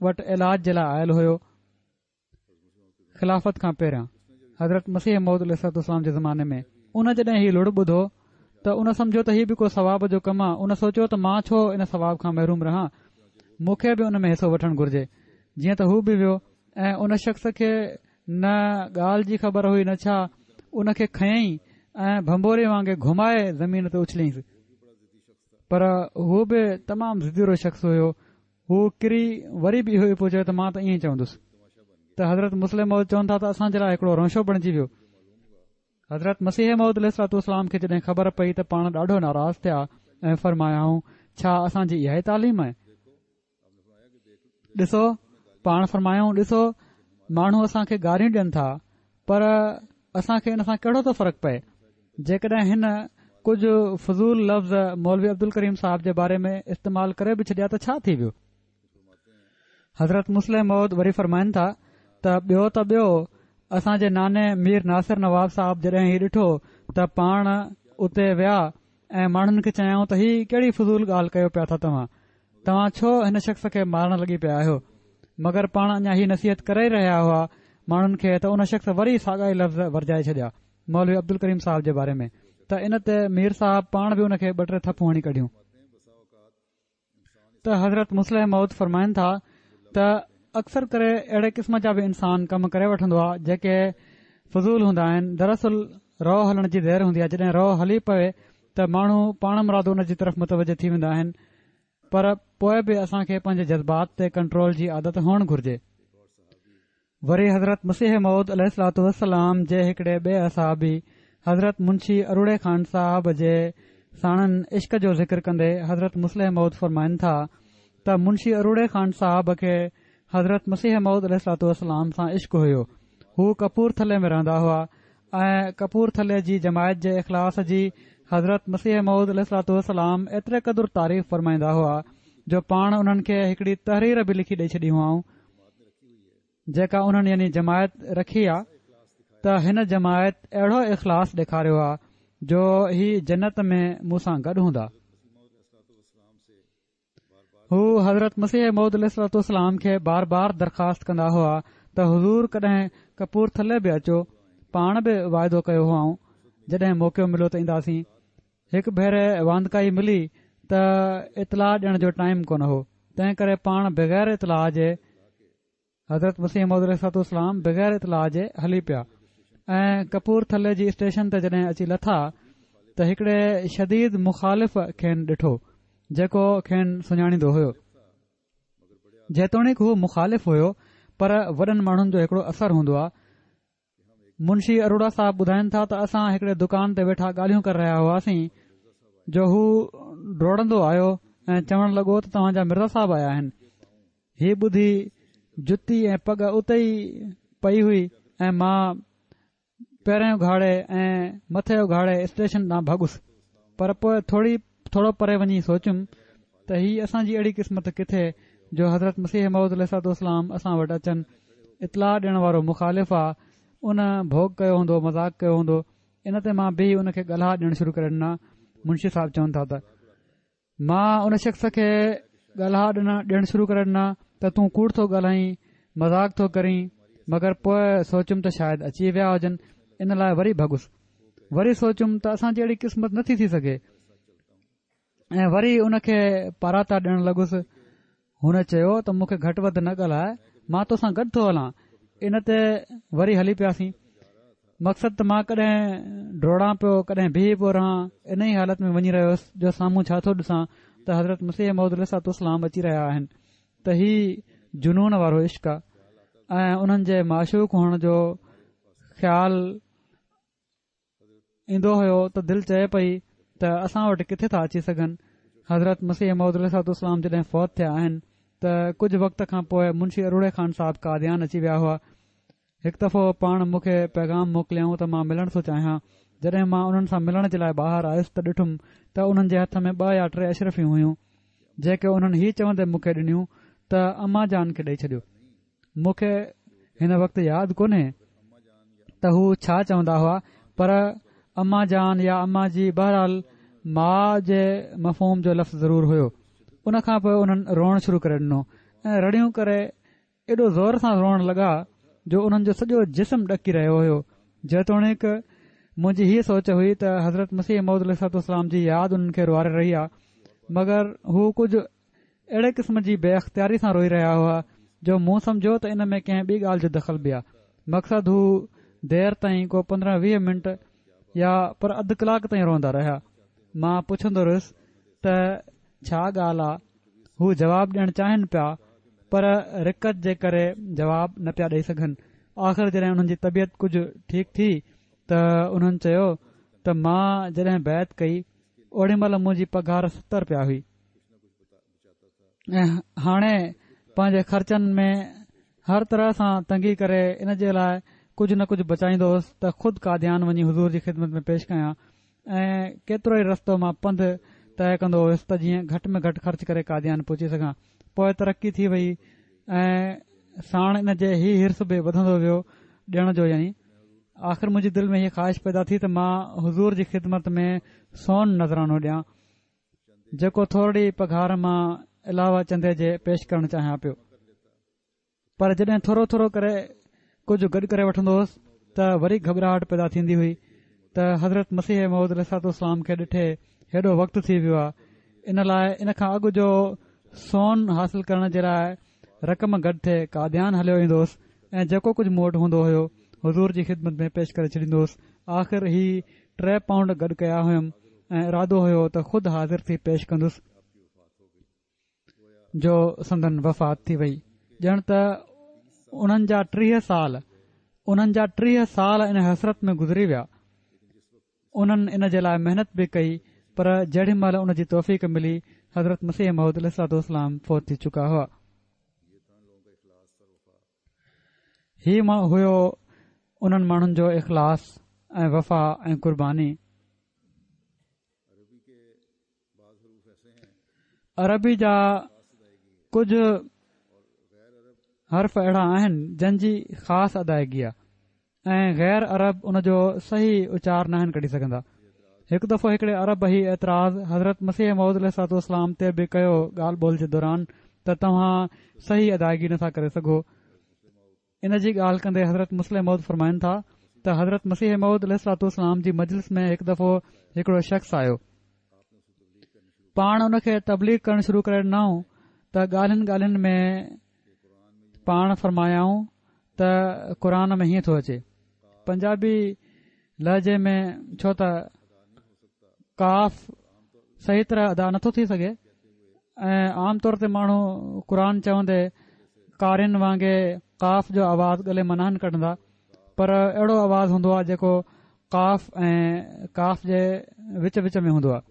وٽ علاج جي لاء آيل هيو. خلافت کان پهريان حضرت مسيح موعود عليه الصلوة والسلام جي زماني ۾ ان جڏهن هي لڙ ٻڌو ته ان سمجهيو ته هي به ڪو ثواب جو ڪم آ ان سوچيو ته مان ڇو ان ثواب کان محروم رهان مون کي به ان ۾ حصو وٺڻ گهرجي جيئن ته هو به ويو ۽ ان شخص کي نه ڳالهه جي خبر هئي نه ڇا، ان کي کنيائين ۽ ڀنڀوري وانگي گهمائي زمين تي اڇليائينس. پر هو به تمام ضدي رو شخص هيو، هو ڪري وري به اهو ئي پيو چوي ته مان ته ائين ئي چوندس. ته حضرت مصلح موعود چون ٿا ته اسان جي لاء هڪڙو رونشو بڻجي ويو. حضرت مسيح موعود عليه الصلوة والسلام کي جڏهن خبر پئي ته پاڻ ڏاڍو ناراض ٿيا ۽ فرمايائون، ڇا اسان جي اها ئي تعليم آهي؟ ڏسو، پاڻ فرمايائون، ڏسو، ماڻهو اسان کي گاريون ڏين ٿا، پر اسان کي ان سان ڪهڙو ٿو فرق پئي؟ جيڪڏهن هن ڪجهه فضول لفظ مولوي عبدالڪريم صاحب جي باري ۾ استعمال ڪري به ڇڏيا ته ڇا ٿي ويو؟ حضرت مصلح موعود وري فرمائن ٿا ته ٻيو ته ٻيو اسان جي ناني مير ناصر نواب صاحب جڏهن هي ڏٺو ته پاڻ اتي ويا ۽ ماڻهن کي چيائون ته هي ڪهڙي فضول ڳالهه ڪيو پيا ٿا توهان توهان ڇو هن شخص کي مارڻ لڳي پيا آهيو؟ مگر پاڻ اڃا هي نصيحت ڪري ئي رهيا هئا ماڻهن کي ته ان شخص وري ساڳا ئي لفظ ورجائي ڇڏيا. مولوي عبدالڪريم صاحب جي باري ۾ ته ان تي مير صاحب پاڻ به ان کي ٻه ٽي ٿڦون هڻي ڪڍيون. ته حضرت مصلح موعود فرمائن ٿا ته اڪثر ڪري اهڙي قسم جا به انسان ڪم ڪري وٺندو آهي جيڪي فضول هوندا آهن دراصل رو هلڻ جي دير هوندي آهي جڏهن رو هلي پوي ته ماڻهو پاڻ مرادو ان جي طرف متوجه ٿي ويندا آهن پر پوء به اسان کي پنهنجي جذبات تي ڪنٽرول جي عادت هئڻ گهرجي. وري حضرت مسيح موعود عليه الصلوة والسلام جي هڪڙي ٻئي اصحابي حضرت منشي اروڙي خان صاحب جي ساڻن عشق جو ذڪر ڪندي حضرت مصلح موعود فرمائن ٿا ته منشي اروڙي خان صاحب کي حضرت مسيح موعود عليه الصلوة والسلام سان عشق هيو هو ڪپور ٿلي ۾ رهندا هئا ۽ ڪپور ٿلي جي جماعت جي اخلاص جي حضرت مسيح موعود عليه الصلوة والسلام ايتري قدر تعريف فرمائيندا هئا جو پاڻ انهن کي هڪڙي تحرير به لکي ڏئي ڇڏي هئائون جيڪا انهن يعني جماعت رکي آ ته هن جماعت اهڙو اخلاص ڏيکاريو آ جو هي جنت ۾ مون سان گڏ هوندا. هو حضرت مسيح موعود عليه الصلوة والسلام کي بار بار درخواست ڪندا هئا ته حضور ڪڏهن ڪپور ٿلي به اچو پاڻ به واعدو ڪيو هئائون جڏهن موقعو مليو ته اينداسين هڪ ڀيري واندڪائي ملي ته اطلاع ڏيڻ جو ٽائيم ڪونه هو تنهن ڪري پاڻ بغير اطلاع جي حضرت مسيح موعود عليه الصلوة والسلام بغير اطلاع جي هلي پيا ۽ ڪپور ٿلي جي اسٽيشن تي جڏهن اچي لٿا ته هڪڙي شديد مخالف کين ڏٺو جيڪو کين سڃاڻيندو هيو جيتوڻيڪ هو مخالف هيو پر وڏن ماڻهن جو هڪڙو اثر هوندو آهي منشي اروڙا صاحب ٻڌائن ٿا ته اسان هڪڙي دڪان تي ويٺا ڳالهيون ڪري رهيا هئاسين جو هو ڊوڙندو آيو ۽ چوڻ لڳو ته توهان جا مرزا صاحب آيا آهن هي ٻڌي جتي ۽ پڳ اتي ئي پئي هئي ۽ مان پيرين اگهاڙي ۽ مٿي اگهاڙي اسٽيشن ڏانهن ڀڳس پر پوء ٿوري ٿورو پري وڃي سوچيم ته هي اسان جي اهڙي قسمت ڪٿي جو حضرت مسيح موعود عليه الصلوة والسلام اسان وٽ اچن اطلاع ڏيڻ وارو مخالف آ ان ڀوڳ ڪيو هوندو مذاق ڪيو هوندو ان تي مان بيهي ان کي ڳالها ڏيڻ شروع ڪري ڏنا منشي صاحب چون ٿا ته مان ان شخص کي ڳالها ڏيڻ شروع ڪري ڏنا ته تون ڪوڙ ٿو ڳالهائين مذاق ٿو ڪرين مگر پوء سوچيم ته شايد اچي ويا هجن ان لاء وري ڀڳس وري سوچيم ته اسان جي اهڙي قسمت نٿي ٿي سگهي ۽ وري ان کي پاراتا ڏيڻ لڳس هن چيو ته مون کي گهٽ وڌ نه ڳالهاء مان توسان گڏ ٿو هلان ان تي وري هلي پياسين مقصد ته مان ڪڏهن ڊوڙان پيو ڪڏهن بيهي پيو رهان ان ئي حالت ۾ وڃي رهيو هوس جو سامهون ڇا ٿو ڏسان ته حضرت مسيح موعود عليه الصلوة والسلام اچي رهيا آهن ته هي جنون وارو عشق آ ۽ انهن جي معشوق هئڻ جو خيال ايندو هيو ته دل چئي پئي ته اسان وٽ ڪٿي ٿا اچي سگهن. حضرت مسيح موعود عليه الصلوة والسلام جڏهن فوت ٿيا آهن ته ڪجهه وقت کان پوء منشي اروڙي خان صاحب قاديان اچي ويا هئا. هڪ دفعو پاڻ مون کي پيغام موڪليائون ته مان ملڻ ٿو چاهيان. جڏهن مان انهن سان ملڻ جي لاء ٻاهر آيس ته ڏٺم ته انهن جي هٿ ۾ ٻه يا ٽي اشرفيون هيون جيڪي انهن هي چوندي مون کي ڏنيون ته امان جان کي ڏئي ڇڏيو. مون کي هن وقت ياد ڪونهي ته هو ڇا چوندا هئا پر اما جان يا اما جي بهرحال ماء جي مفهوم جو لفظ ضرور هيو ان کان پوء انهن روئڻ شروع ڪري ڏنو ۽ رڙيون ڪري ايڏو زور سان روئڻ لڳا جو انهن جو سڄو جسم ڏڪي رهيو هيو جيتوڻيڪ منهنجي هيء سوچ هئي ته حضرت مسيح موعود عليه الصلوة والسلام جي ياد انهن کي روئاري رهي آهي مگر هو ڪجهه اهڙي قسم جي بي اختياري سان روئي رهيا هئا جو مون سمجهيو ته ان ۾ ڪنهن ٻي ڳالهه جو دخل به آ. مقصد هو دير تائين ڪو 15 20 منٽ يا پر اڌ ڪلاڪ تائين روئندا رهيا. مان پڇندو رهيس ته ڇا ڳالهه آ؟ هو جواب ڏيڻ چاهين پيا پر رقت جي ڪري جواب نه پيا ڏئي سگهن. آخر جڏهن انهن جي طبيعت ڪجهه ٺيڪ ٿي ته انهن چيو ته مان جڏهن بيعت ڪئي اوڏي مهل منهنجي پگهار 70 رپيا هئي. ۽ هاڻي پنهنجي خرچن ۾ هر طرح سان تنگي ڪري ان جي لاء ڪجهه نه ڪجهه بچائيندو هوس ته خود قاديان وڃي حضور جي خدمت ۾ پيش ڪيان ۽ ڪيترو ئي رستو مان پنڌ طئي ڪندو هيس ته جيئن گهٽ ۾ گهٽ خرچ ڪري قاديان پهچي سگهان پوء ترقي ٿي وئي ۽ ساڻ ان جي هي حرص به وڌندو ويو ڏيڻ جو يعني آخر منهنجي دل ۾ هي خواهش پيدا ٿي ته مان حضور جي خدمت ۾ سون نذرانو ڏيان جيڪو ٿورڙي پگهار مان علاوه چندي جي پيش ڪرڻ چاهيان پيو پر جڏهن ٿورو ٿورو ڪري ڪجهه گڏ ڪري وٺندو هوس ته وري گهٻراهٽ پيدا ٿيندي هئي. ته حضرت مسيح موعود عليه الصلوة والسلام کي ڏٺي هيڏو وقت ٿي ويو آهي، ان لاء ان کان اڳ جو سون حاصل ڪرڻ جي لاء رقم گڏ ٿئي قاديان هليو ايندو هوس ۽ جيڪو ڪجهه مون وٽ هوندو هيو حضور جي خدمت ۾ پيش ڪري ڇڏيندو هوس. آخر هي ٽي پائونڊ گڏ ڪيا هيم ۽ ارادو هيو ته خود حاضر ٿي پيش ڪندس جو سندن وفات ٿي وئي. ڄڻ ته انهن جا 30 سال انهن جا 30 سال ان حسرت ۾ گذري ويا. انهن ان جي لاء محنت به ڪئي پر جهڙي مهل ان جي توفيق ملي حضرت مسيح موعود عليه الصلوة والسلام فوت ٿي چڪا هئا. هي هيو انهن ماڻهن جو اخلاص ۽ وفا ۽ قرباني. عربي جا ڪجهه حرف اهڙا آهن جن جي خاص ادائگي آهي ۽ غير عرب ان جو صحيح اچار ناهن ڪڍي سگهندا. هڪ دفعو هڪڙي عرب هي اعتراض حضرت مسيح موعود عليه الصلوة والسلام تي به ڪيو ڳالهه ٻولهه جي دوران ته توهان صحيح ادائگي نٿا ڪري سگهو. ان جي ڳالهه ڪندي حضرت مصلح موعود فرمائن ٿا ته حضرت مسيح موعود عليه الصلوة والسلام جي مجلس ۾ هڪ دفعو هڪڙو شخص آيو. پاڻ ان کي تبليغ ڪرڻ شروع ڪري ڏنائون ته ڳالهين ڳالهين ۾ پاڻ فرمايائون ته قرآن ۾ هيئن ٿو اچي پنجابي لهجي ۾ ڇو ته قاف صحيح طرح ادا نٿو ٿي سگهي ۽ عام طور تي ماڻهو قرآن چوندي قارين وانگي قاف جو آواز ڳلي مان ناهن ڪڍندا پر اهڙو آواز هوندو آهي جيڪو قاف ۽ ڪاف جي وچ وچ ۾ هوندو آهي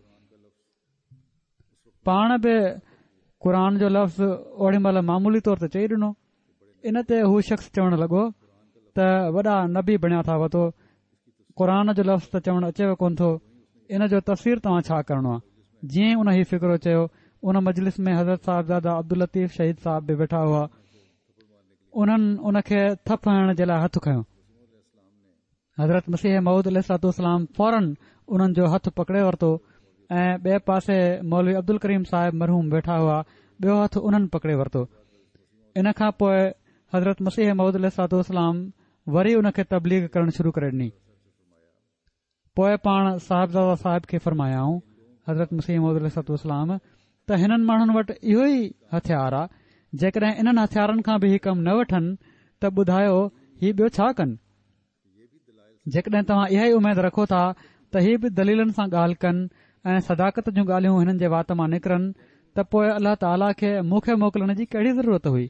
پاڻ به قرآن جو لفظ اوڏي مهل معمولي طور تي چئي ڏنو ان تي هو شخص چوڻ لڳو ته وڏا نبي بڻيا ٿا وتو قرآن جو لفظ ته چوڻ اچيو ڪونه ٿو ان جو تفسير توهان ڇا ڪرڻو آهي جيئن ئي ان هي فقرو چيو ان مجلس ۾ حضرت صاحبزاده عبداللطيف شهيد صاحب به ويٺا هئا انهن ان کي ٿڦ هڻڻ جي لاء هٿ کنيو حضرت مسيح موعود عليه الصلوة والسلام فوراً انهن جو هٿ پڪڙي ورتو ۽ ٻئي پاسي مولوي عبدالڪريم صاحب مرحوم ويٺا هئا ٻيو هٿ انهن پڪڙي ورتو ان کان پوء حضرت مسيح موعود عليه الصلوة والسلام وري ان کي تبليغ ڪرڻ شروع ڪري ڏني پوء پاڻ صاحبزاده صاحب کي فرمايائون حضرت مسيح موعود عليه الصلوة والسلام ته هنن ماڻهن وٽ اهو ئي هٿيار آ جيڪڏهن انهن هٿيارن کان به هي ڪم نه وٺن ته ٻڌايو هي ٻيو ڇا ڪن جيڪڏهن توهان اها ئي اميد رکو ٿا ته هي به دليلن سان ڳالهه ڪن ۽ صداقت جون ڳالهيون هنن جي وات مان نڪرن ته پوء الله تعاليٰ کي مون کي موڪلڻ جي ڪهڙي ضرورت هئي؟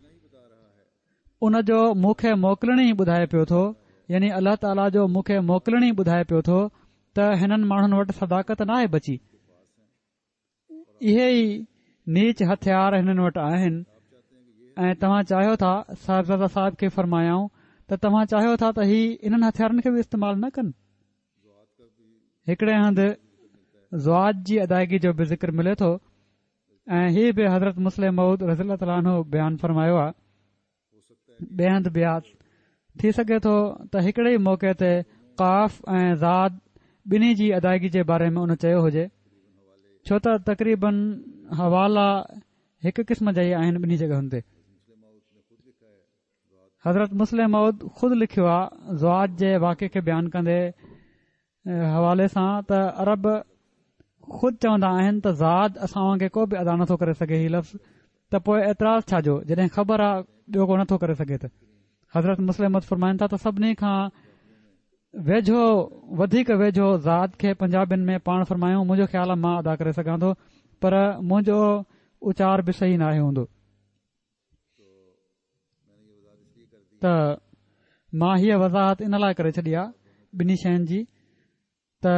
ان جو مون کي موڪلڻ ئي ٻڌائي پيو ٿو يعني الله تعاليٰ جو مون کي موڪلڻ ئي ٻڌائي پيو ٿو ته هنن ماڻهن وٽ صداقت ناهي بچي. اهي ئي نيچ هٿيار هنن وٽ آهن ۽ توهان چاهيو ٿا صاحبزاده صاحب کي فرمايائون ته توهان چاهيو ٿا ته هي انهن هٿيارن کي به استعمال نه ڪن هڪڙي هنڌ ضاد جي ادائگي جو به ذڪر ملي ٿو ۽ هي به حضرت مصلح موعود رضي الله تعاليٰ عنه بيان فرمايو آهي ٻئي هنڌ به آ. ٿي سگهي ٿو ته هڪڙي ئي موقعي تي قاف ۽ ضاد ٻنهي جي ادائگي جي باري ۾ ان چيو هجي، ڇو ته تقريباً حوالا هڪ قسم جا ئي آهن ٻنهي جڳهن تي. حضرت مصلح موعود خود لکيو آ ضاد جي واقعي کي بيان ڪندي حوالي سان ته عرب خود چوندا آهن ته ضاد اسان وانگي ڪو به ادا نٿو ڪري سگهي هي لفظ ته پوء اعتراض ڇا جو جڏهن خبر آ ٻيو ڪو نٿو ڪري سگهي ته حضرت مصلح موعود فرمائن ٿا ته سڀني کان ويجهو وڌيڪ ويجهو ضاد کي پنجابين ۾ پاڻ فرمايائون منهنجو خيال آ مان ادا ڪري سگهان ٿو پر منهنجو اچار به صحيح ناهي هوندو ته مان هيء وضاحت ان لاء ڪري ڇڏي آ ٻنهي شين جي ته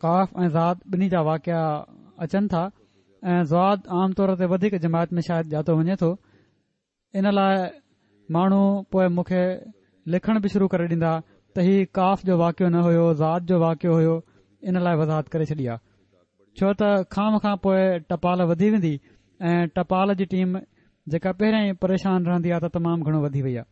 قاف ۽ ضاد ٻنهي جا واقعا اچن ٿا ۽ ضاد عام طور تي وڌيڪ جماعت ۾ شايد ڄاتو وڃي ٿو ان لاء ماڻهو پوء مون کي لکڻ به شروع ڪري ڏيندا ته هي قاف جو واقعو نه هيو ضاد جو واقعو هيو ان لاء وضاحت ڪري ڇڏي آ ڇو ته خوامخواه پوء ٽپال وڌي ويندي ۽ ٽپال جي ٽيم جيڪا پهريان ئي پريشان رهندي آ ته تمام گهڻو وڌي وئي آ.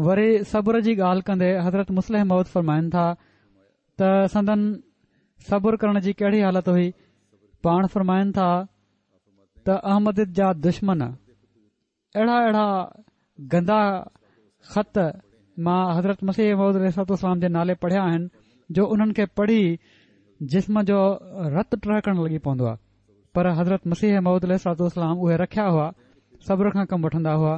وري صبر جي ڳالهه ڪندي حضرت مصلح موعود فرمائن ٿا ته سندن. صبر ڪرڻ جي ڪهڙي حالت هئي؟ پاڻ فرمائن ٿا ته احمديت جا دشمن اهڙا اهڙا گندا خط مان حضرت مسيح موعود عليه الصلوة والسلام جي نالي پڙهيا آهن جو انهن کي پڙهي جسم جو رت ٽهڪڻ لڳي پوندو آهي پر حضرت مسيح موعود عليه الصلوة والسلام اهي رکيا هئا صبر کان ڪم وٺندا هئا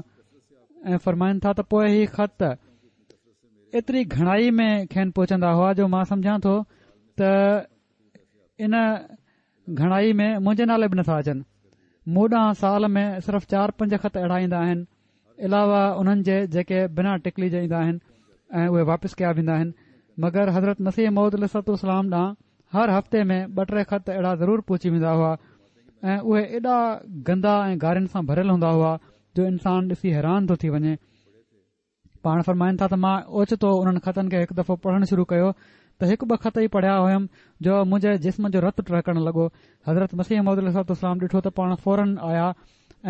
۽ فرمائن ٿا ته پوء هي خط ايتري گهڻائي ۾ کين پهچندا هئا جو مان سمجهان ٿو ته ان گهڻائي ۾ منهنجي نالي به نٿا اچن. مون ڏانهن سال ۾ صرف چار پنج خط اهڙا ايندا آهن، علاوه انهن جي جيڪي بنا ٽڪلي جي ايندا آهن ۽ اهي واپس ڪيا ويندا آهن. مگر حضرت مسيح موعود عليه الصلوة والسلام ڏانهن هر هفتي ۾ ٻه ٽي خط اهڙا ضرور پهچي ويندا هئا ۽ اهي ايڏا گندا ۽ گارين سان ڀريل هوندا هئا جو انسان ڏسي حيران ٿو ٿي وڃي. پاڻ فرمائن ٿا ته مان اوچتو انهن خطن کي هڪ دفعو پڙهڻ شروع ڪيو ته هڪ ٻه خط ئي پڙهيا هيم جو منهنجي جسم جو رت ٽهڪڻ لڳو. حضرت مسيح موعود عليه الصلوة والسلام ڏٺو ته پاڻ فوراً آيا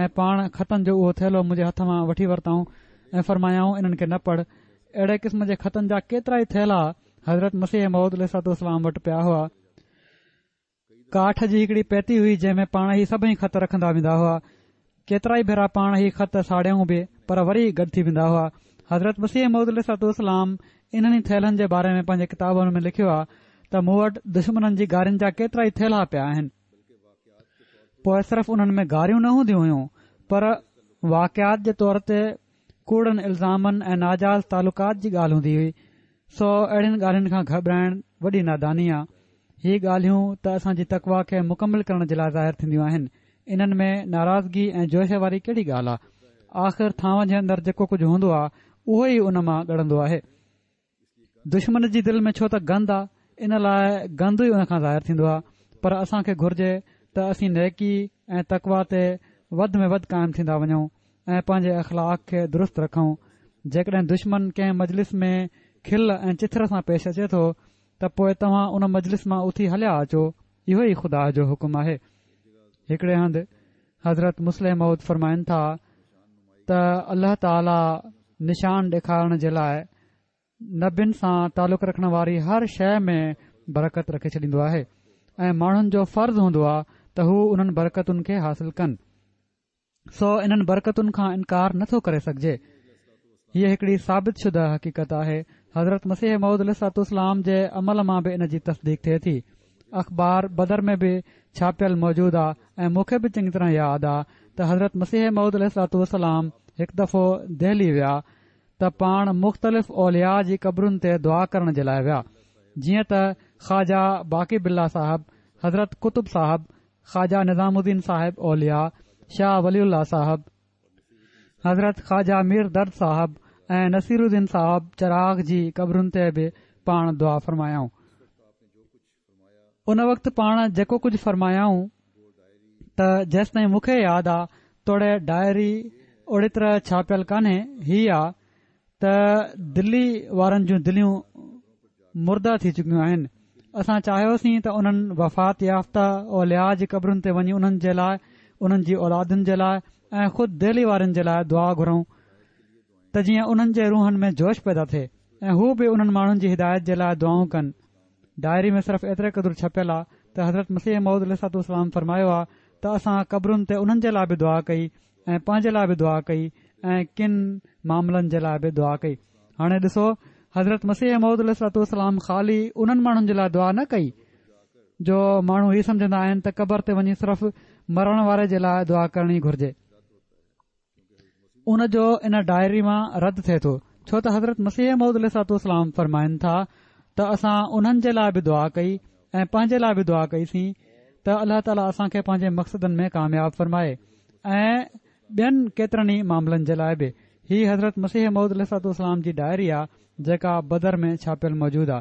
۽ پاڻ خطن جو اهو ٿيلهو منهنجي هٿ مان وٺي ورتائون ۽ فرمايائون انهن کي نه پڙهه. اهڙي قسم جي خطن جا ڪيترائي ٿيلها حضرت مسيح موعود عليه الصلوة والسلام وٽ پيا هئا. ڪاٺ جي هڪڙي پيتي هئي جنهن ۾ پاڻ هي سڀئي خط رکندا ويندا هئا. ڪيترائي ڀيرا پاڻ هي خط ساڙيائون به پر وري گڏ ٿي ويندا هئا. حضرت مسيح موعود عليه الصلوة والسلام انهن ئي ٿيلهن جي باري ۾ پنهنجي ڪتابن ۾ لکيو آهي ته مون وٽ دشمنن جي گارين جا ڪيترائي ٿيلها پيا آهن. پوء صرف انهن ۾ گاريون نه هونديون هيون پر واقعات جي طور تي ڪوڙن الزامن ۽ ناجائز تعلقات جي ڳالهه هوندي هئي. سو اهڙين ڳالهين کان گهٻرائڻ وڏي ناداني آ. هي ڳالهيون ته اسان جي تقويٰ کي مڪمل ڪرڻ جي لاء ظاهر ٿينديون آهن. انهن ۾ ناراضگي ۽ جوش واري ڪهڙي ڳالهه آ؟ آخر ٿانون جي اندر جيڪو ڪجهه هوندو آ، اهو ئي ان مان ڳڙندو آهي. دشمن جي دل ۾ ڇو ته گند آ، ان لاء گند ئي ان کان ظاهر ٿيندو آ. پر اسان کي گهرجي ته اسين نيڪي ۽ تقويٰ تي وڌ ۾ وڌ قائم ٿيندا وڃون. ۽ پنهنجي اخلاق کي درست رکون. جيڪڏهن دشمن ڪنهن مجلس ۾ کل ۽ چٿر سان پيش اچي ٿو ته پوء توهان ان مجلس مان اٿي هليا اچو، اهو ئي خدا جو حڪم آهي. هڪڙي هنڌ حضرت مصلح موعود فرمائن ٿا ته الله تعاليٰ نشان ڏيکارڻ جي لاء نبين سان تعلق رکڻ واري هر شيء ۾ برڪت رکي ڇڏيندو آهي ۽ ماڻهن جو فرض هوندو آهي ته هو انهن برڪتن کي حاصل ڪن. سو انهن برڪتن کان انڪار نه ٿو ڪري سگهجي. هيء هڪڙي ثابت شده حقيقت آهي. حضرت مسيح موعود عليه الصلوة والسلام جي عمل مان به ان جي تصديق ٿئي ٿي. اخبار بدر ۾ به ڇاپيل موجود آ ۽ مون کي به چڱي طرح ياد آ ته حضرت مسيح موعود عليه الصلوة والسلام هڪ دفعو دهلي ويا ته پاڻ مختلف اولياء جي قبرن تي دعا ڪرڻ جي لاء ويا جيئن ته خواجه باقي بالله صاحب، حضرت قطب صاحب، خواجه نظام الدين صاحب اولياء، شاهه ولي الله صاحب، حضرت خواجه مير درد صاحب ۽ نصير الدين صاحب چراغ جي قبرن تي به پاڻ دعا فرمايائون. ان وقت پاڻ جيڪو ڪجهه فرمايائون ته جيستائين مون کي ياد آ توڙي ڊائري اوڙي طرح ڇاپيل ڪانهي هي آ ته دلي وارن جون دليون مرده ٿي چڪيون آهن اسان چاهيوسين ته انهن وفات يافته اولياء جي قبرن تي وڃي انهن جي لاء انهن جي اولادن جي لاء ۽ خود دهلي وارن جي لاء دعا گهرون ته جيئن انهن جي روحن ۾ جوش پيدا ٿئي ۽ هو به انهن ماڻهن جي هدايت جي لاء دعائون ڪن ڊائري ۾ صرف ايتري قدر ڇپيل آ ته حضرت مسيح موعود عليه الصلوة والسلام فرمايو آ ته اسان قبرن تي انهن جي لاء به دعا ڪئي ۽ پنهنجي لاء به دعا ڪئي ۽ ڪن معاملن جي لاء به دعا ڪئي. هاڻي ڏسو حضرت مسيح موعود عليه الصلوة والسلام خالي انهن ماڻهن جي لاء دعا نه ڪئي جو ماڻهو هي سمجهندا آهن ته قبر تي وڃي صرف مرڻ واري جي لاء دعا ڪرڻي گهرجي. ان جو ان ڊائري مان رد ٿئي ٿو ڇو ته حضرت مسيح موعود عليه الصلوة والسلام فرمائن ٿا ته اسان انهن جي لاء به دعا ڪئي ۽ پنهنجي لاء به دعا ڪئي سين ته الله تعاليٰ اسان کي پنهنجي مقصدن ۾ ڪامياب فرمائي ۽ ٻين ڪيترن ئي معاملن جي لاء به. هي حضرت مسيح موعود عليه الصلوة والسلام جي ڊائري آ جيڪا بدر ۾ ڇاپيل موجود آ.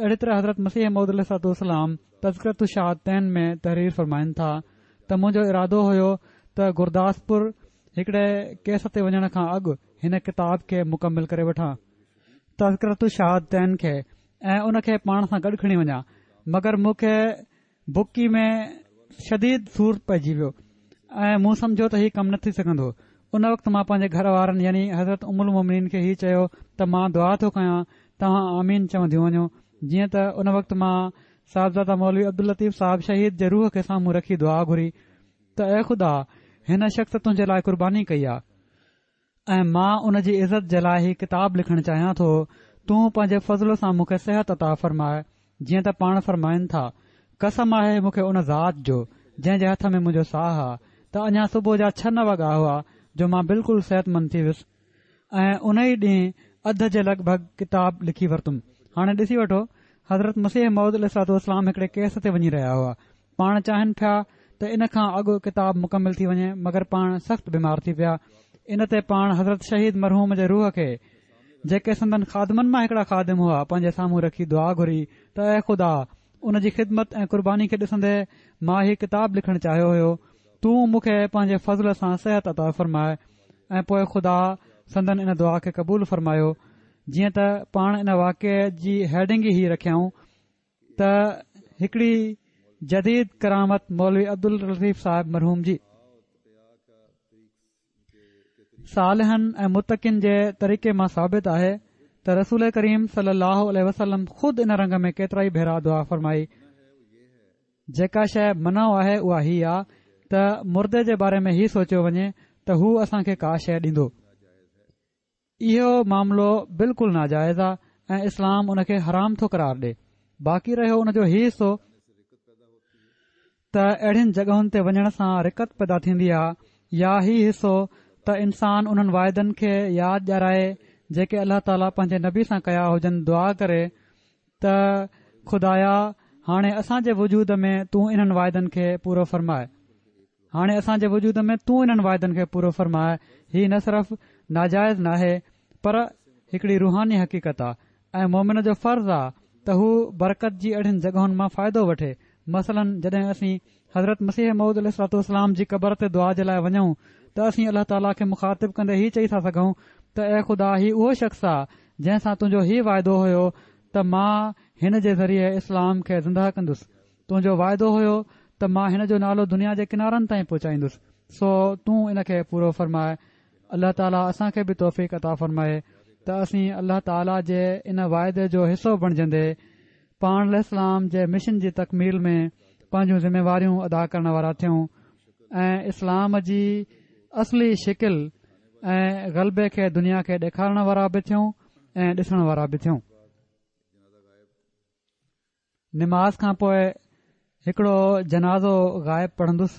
اهڙي طرح حضرت مسيح موعود عليه الصلوة والسلام تذڪرة الشهادتين ۾ تحرير فرمائن ٿا ته منهنجو ارادو هيو ته گرداسپور هڪڙي ڪيس تي وڃڻ کان اڳ هن ڪتاب کي مڪمل ڪري وٺان. تذڪرة الشهادتين کي ۽ ان کي پاڻ سان گڏ کڻي وڃان مگر مون کي بڪي ۾ شديد سور پئجي ويو ۽ مون سمجهيو ته هي ڪم نه ٿي سگهندو. ان وقت مان پنهنجي گهر وارن يعني حضرت ام المومنين کي هي چيو ته مان دعا ٿو ڪيان توهان آمين چونديون وڃو جيئن ته ان وقت مان صاحبزاده مولوي عبداللطيف صاحب شهيد جي روح کي سامهون رکي دعا گهري ته اي خدا هن شخص تنهنجي لاء قرباني ڪئي آ ۽ مان ان جي عزت جي لاء هي ڪتاب لکڻ چاهيان ٿو، تون پنهنجي فضل سان مون کي صحت عطا فرماء، جيئن ته پاڻ فرمائن ٿا، قسم آهي مون کي ان ذات جو، جنهن جي هٿ ۾ منهنجو ساهه آ، ته اڃا صبح جا ڇهه نه وڳا هئا جو مان بلڪل صحتمند ٿي ويس ۽ ان ئي ڏينهن اڌ جي لڳ ڀڳ ڪتاب لکي ورتم. هاڻي ڏسي وٺو، حضرت مسيح موعود عليه الصلوة والسلام هڪڙي ڪيس تي وڃي رهيا هئا، پاڻ چاهين پيا ته ان کان اڳ ڪتاب مڪمل ٿي وڃي مگر پاڻ سخت بيمار ٿي پيا ان تي پاڻ حضرت شهيد مرحوم جي روح کي جيڪي سندن خادمن مان هڪڙا خادم هئا پنهنجي سامهون رکي دعا گهري ته اي خدا ان جي خدمت ۽ قرباني کي ڏسندي مان هي ڪتاب لکڻ چاهيو هيو تون مون کي پنهنجي فضل سان صحت عطا فرماء ۽ پوء خدا سندن ان دعا کي قبول فرمايو جيئن ته پاڻ ان واقعي جي هيڊنگ ئي هي رکيائون ته هڪڙي جديد ڪرامت مولوي عبداللطيف صاحب مرحوم جي. صالحن ۽ متقين جي طريقي مان ثابت آهي ته رسول ڪريم صلي الله عليه وسلم خود ان رنگ ۾ ڪيترائي ڀيرا دعا فرمائي. جيڪا شيء منع آهي اها هي آ ته مردي جي باري ۾ هي سوچيو وڃي ته هو اسان کي ڪا شيء ڏيندو. اهو معاملو بلڪل ناجائز آ ۽ اسلام ان کي حرام ٿو قرار ڏي. باقي رهيو ان جو هي حصو ته اهڙين جڳهن تي وڃڻ سان رقت پيدا ٿيندي آ يا هي حصو ته انسان انهن واعدن کي ياد ڏيارائي جيڪي الله تعاليٰ پنهنجي نبي سان ڪيا هجن دعا ڪري ته خدايا هاڻي اسان جي وجود ۾ تون انهن واعدن کي پورو فرماء. هاڻي اسان جي وجود ۾ تون انهن واعدن کي پورو فرماء، هي نه صرف ناجائز ناهي پر هڪڙي روحاني حقيقت آ ۽ مومن جو فرض آ ته هو برڪت جي اهڙين جڳهن مان فائدو وٺي، مثلاً جڏهن اسين حضرت مسيح موعود عليه الصلوة والسلام جي قبر تي دعا جي لاء وڃون ته اسين الله تعاليٰ کي مخاطب ڪندي هي چئي ٿا سگهون ته اي خدا هي اهو شخص آ جنهن سان تنهنجو هي واعدو هيو ته مان هن جي ذريعي اسلام کي زندهه ڪندس تنهنجو واعدو هيو ته مان هن جو نالو دنيا جي ڪنارن تائين پهچائيندس، سو تون ان کي پورو فرماء. الله تعاليٰ اسان کي به توفيق عطا فرمائي ته اسين الله تعاليٰ جي ان واعدي جو حصو بڻجندي پاڻ عليه السلام جي مشن جي تڪميل ۾ پنهنجون ذميواريون ادا ڪرڻ وارا ٿيون ۽ اسلام جي اصلي شڪل ۽ غلبي کي دنيا کي ڏيکارڻ وارا به ٿيون ۽ ڏسڻ وارا به ٿيون. نماز کان پوء هڪڙو جنازو غائب پڙهندس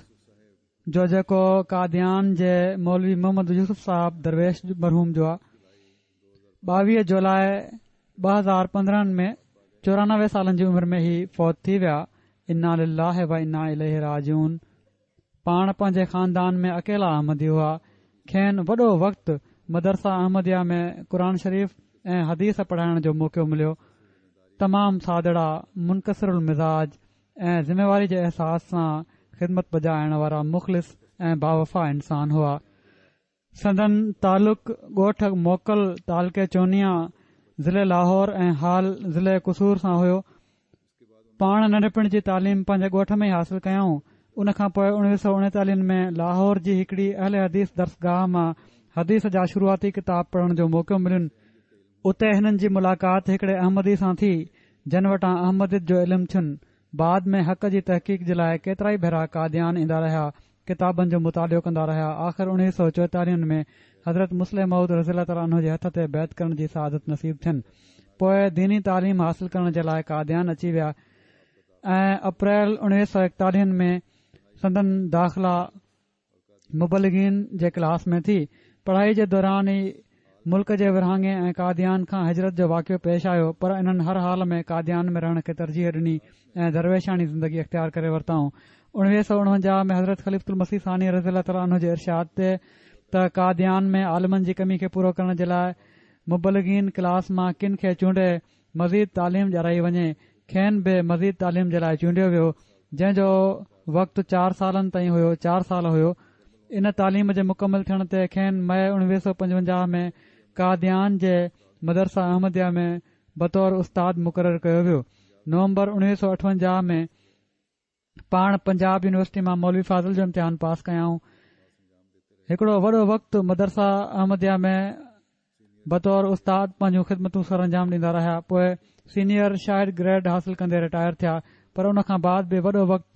جو جيڪو قاديان جي مولوي محمد يوسف صاحب درويش مرحوم جو آ 22 جولاء 2015 ۾ 94 سالن جي عمر ۾ هي فوت ٿي ويا انا لله و انا اليه راجعون پاڻ پنهنجي خاندان ۾ اڪيلا احمدي هئا. کين وڏو وقت مدرسه احمديه ۾ قرآن شريف ۽ حديث پڙهائڻ جو موقعو مليو. تمام سادڙا، منڪسر المزاج ۽ ذميواري جي احساس سان خدمت بجا آڻڻ وارا مخلص ۽ باوفا انسان هئا. سندن تعلق ڳوٺ موڪل تعلقي چونيان ضلعي لاهور ۽ حال ضلعي قصور سان هيو. پاڻ ننڍپڻ جي تعليم پنهنجي ڳوٺ ۾ ئي حاصل ڪيائون. ان کان پوء 1939 ۾ لاهور جي هڪڙي اهل حديث درسگاهه مان حديث جا شروعاتي ڪتاب پڙهڻ جو موقعو ملين. اتي هنن جي ملاقات هڪڙي احمدي سان ٿي، جن وٽان احمديت جو علم ٿين. بعد ۾ حق جي تحقيق جي لاء ڪيترائي ڀيرا قاديان ايندا رهيا. ڪتابن جو مطالعو ڪندا رهيا. آخر 1944 ۾ حضرت مصلح موعود رضي الله تعالٰي عنه جي هٿ تي بيعت ڪرڻ جي سعادت نصيب ٿين. پوء ديني تعليم حاصل ڪرڻ جي لاء قاديان اچي ويا ۽ اپريل 1941 ۾ سندن داخلا مبلغين جي ڪلاس ۾ ٿي. پڙهائي جي دوران ئي ملڪ جي ورهاڱي ۽ قاديان کان هجرت جو واقعو پيش آيو پر انهن هر حال ۾ قاديان ۾ رهڻ کي ترجيح ڏني ۽ درويشاڻي زندگي اختيار ڪري ورتائون. 1949 ۾ حضرت خليفة المسيح ثاني رضي الله تعالٰي عنه جي ارشاد تي ته قاديان ۾ عالمن جي ڪمي کي پورو ڪرڻ جي لاء مبلغين ڪلاس مان ڪن کي چونڊي مزيد تعليم ڏيارائي وڃي، کين به مزيد تعليم جي لاء چونڊيو ويو، جنهن جو وقت چار سالن تائين هيو چار سال هيو. ان تعليم جي مڪمل ٿيڻ تي کين مئي 1955 ۾ قاديان جي مدرسه احمديه ۾ بطور استاد مقرر ڪيو ويو. نومبر 1958 ۾ پاڻ پنجاب يونيورسٽي مان مولوي فاضل جو امتحان پاس ڪيائون. هڪڙو وڏو وقت مدرسه احمديه ۾ بطور استاد پنهنجون خدمتون سرانجام ڏيندا رهيا. پوء سينيئر شاهد گريڊ حاصل ڪندي رٽائر ٿيا. پر ان کان بعد به وڏو وقت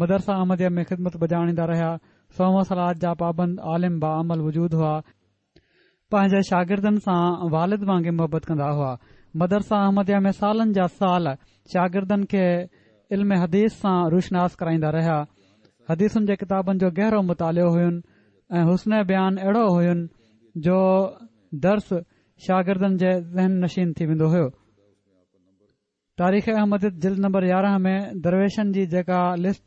مدرسه احمديه ۾ خدمت بجا آڻيندا رهيا. صوم و صلوة جا پابند عالم باعمل وجود هئا. پنهنجي شاگردن سان والد وانگي محبت ڪندا هئا. مدرسه احمديه ۾ سالن جا سال شاگردن کي علم حديث سان روشناس ڪرائيندا رهيا. حديثن جي ڪتابن جو گهرو مطالعو هين ۽ حسن بيان اهڙو هين جو درس شاگردن جي ذهن نشين ٿي ويندو هيو. تاريخ احمديت جلد نمبر 11 ۾ درويشن جي جيڪا لسٽ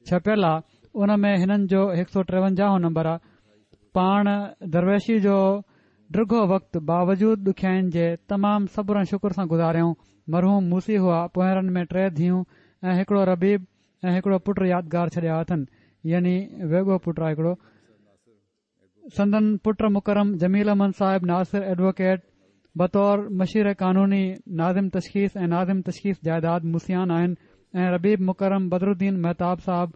ڇپيل آ ان ۾ هنن جو هڪ سو ٽيونجاهون نمبر آ. پاڻ درويشي جو ڊگهو وقت باوجود ڏکيائين جي تمام صبر ۽ شڪر سان گذاريائون. مرحوم موصي هئا، پونئيرن ۾ ٽي ڌيئون ۽ هڪڙو ربيب ۽ هڪڙو پٽ يادگار ڇڏيا اٿن يعني ويڳو پٽ آ هڪڙو. سندن پٽ مڪرم جميل احمد صاحب ناصر ايڊووڪيٽ بطور مشير قانوني، ناظم تشخيص ۽ ناظم تشخيص جائداد موصيان آهن ۽ ربيب مڪرم بدرالدين مهتاب صاحب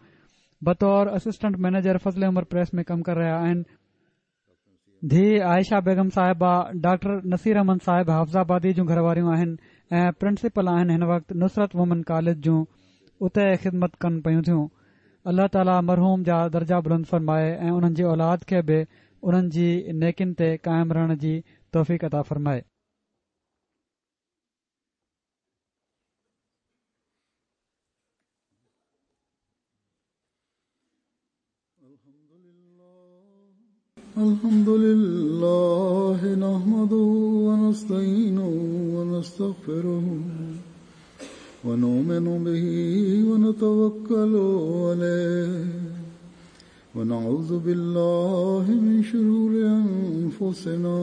بطور اسسٽنٽ مئنيجر فضل عمر پريس ۾ ڪم ڪري رهيا آهن. ڌيء عائشه بيگم صاحبه ڊاڪٽر نصير احمد صاحب حافظ آبادي جون گهر واريون آهن ۽ پرنسپل آهن هن وقت نصرت وومن ڪاليج جون اتي خدمت ڪن پيون ٿيون. الله تعالي مرحوم جا درجا بلند فرمائي ۽ انهن جي اولاد کي به انهن جي نيڪين تي قائم رهڻ جي توفيق عطا فرمائي. الحمد لله نحمده ونستعينه ونستغفره ونؤمن به ونتوكل عليه ونعوذ بالله من شرور أنفسنا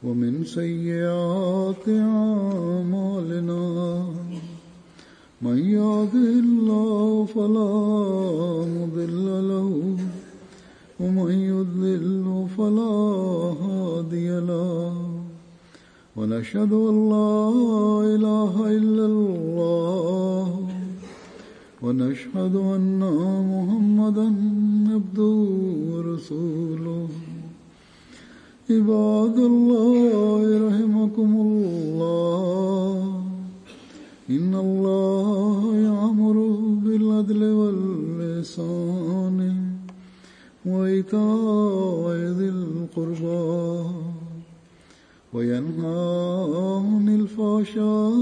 ومن سيئات أعمالنا من يهده الله فلا مضل له ومن يضلل فلا هادي له ونشهد أن لا إله إلا الله ونشهد أن محمدا عبده ورسوله عباد الله رحمكم الله إن الله يأمر بالعدل واللسان وإيتاء ذي القربى وينهى عن الفحشاء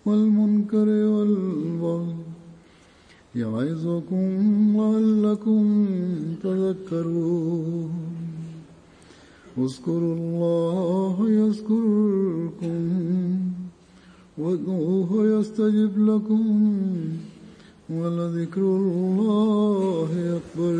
والمنكر والبغي يعظكم لعلكم تذكرون اذكروا الله يذكركم وادعوه يستجب لكم ولذكر الله أكبر.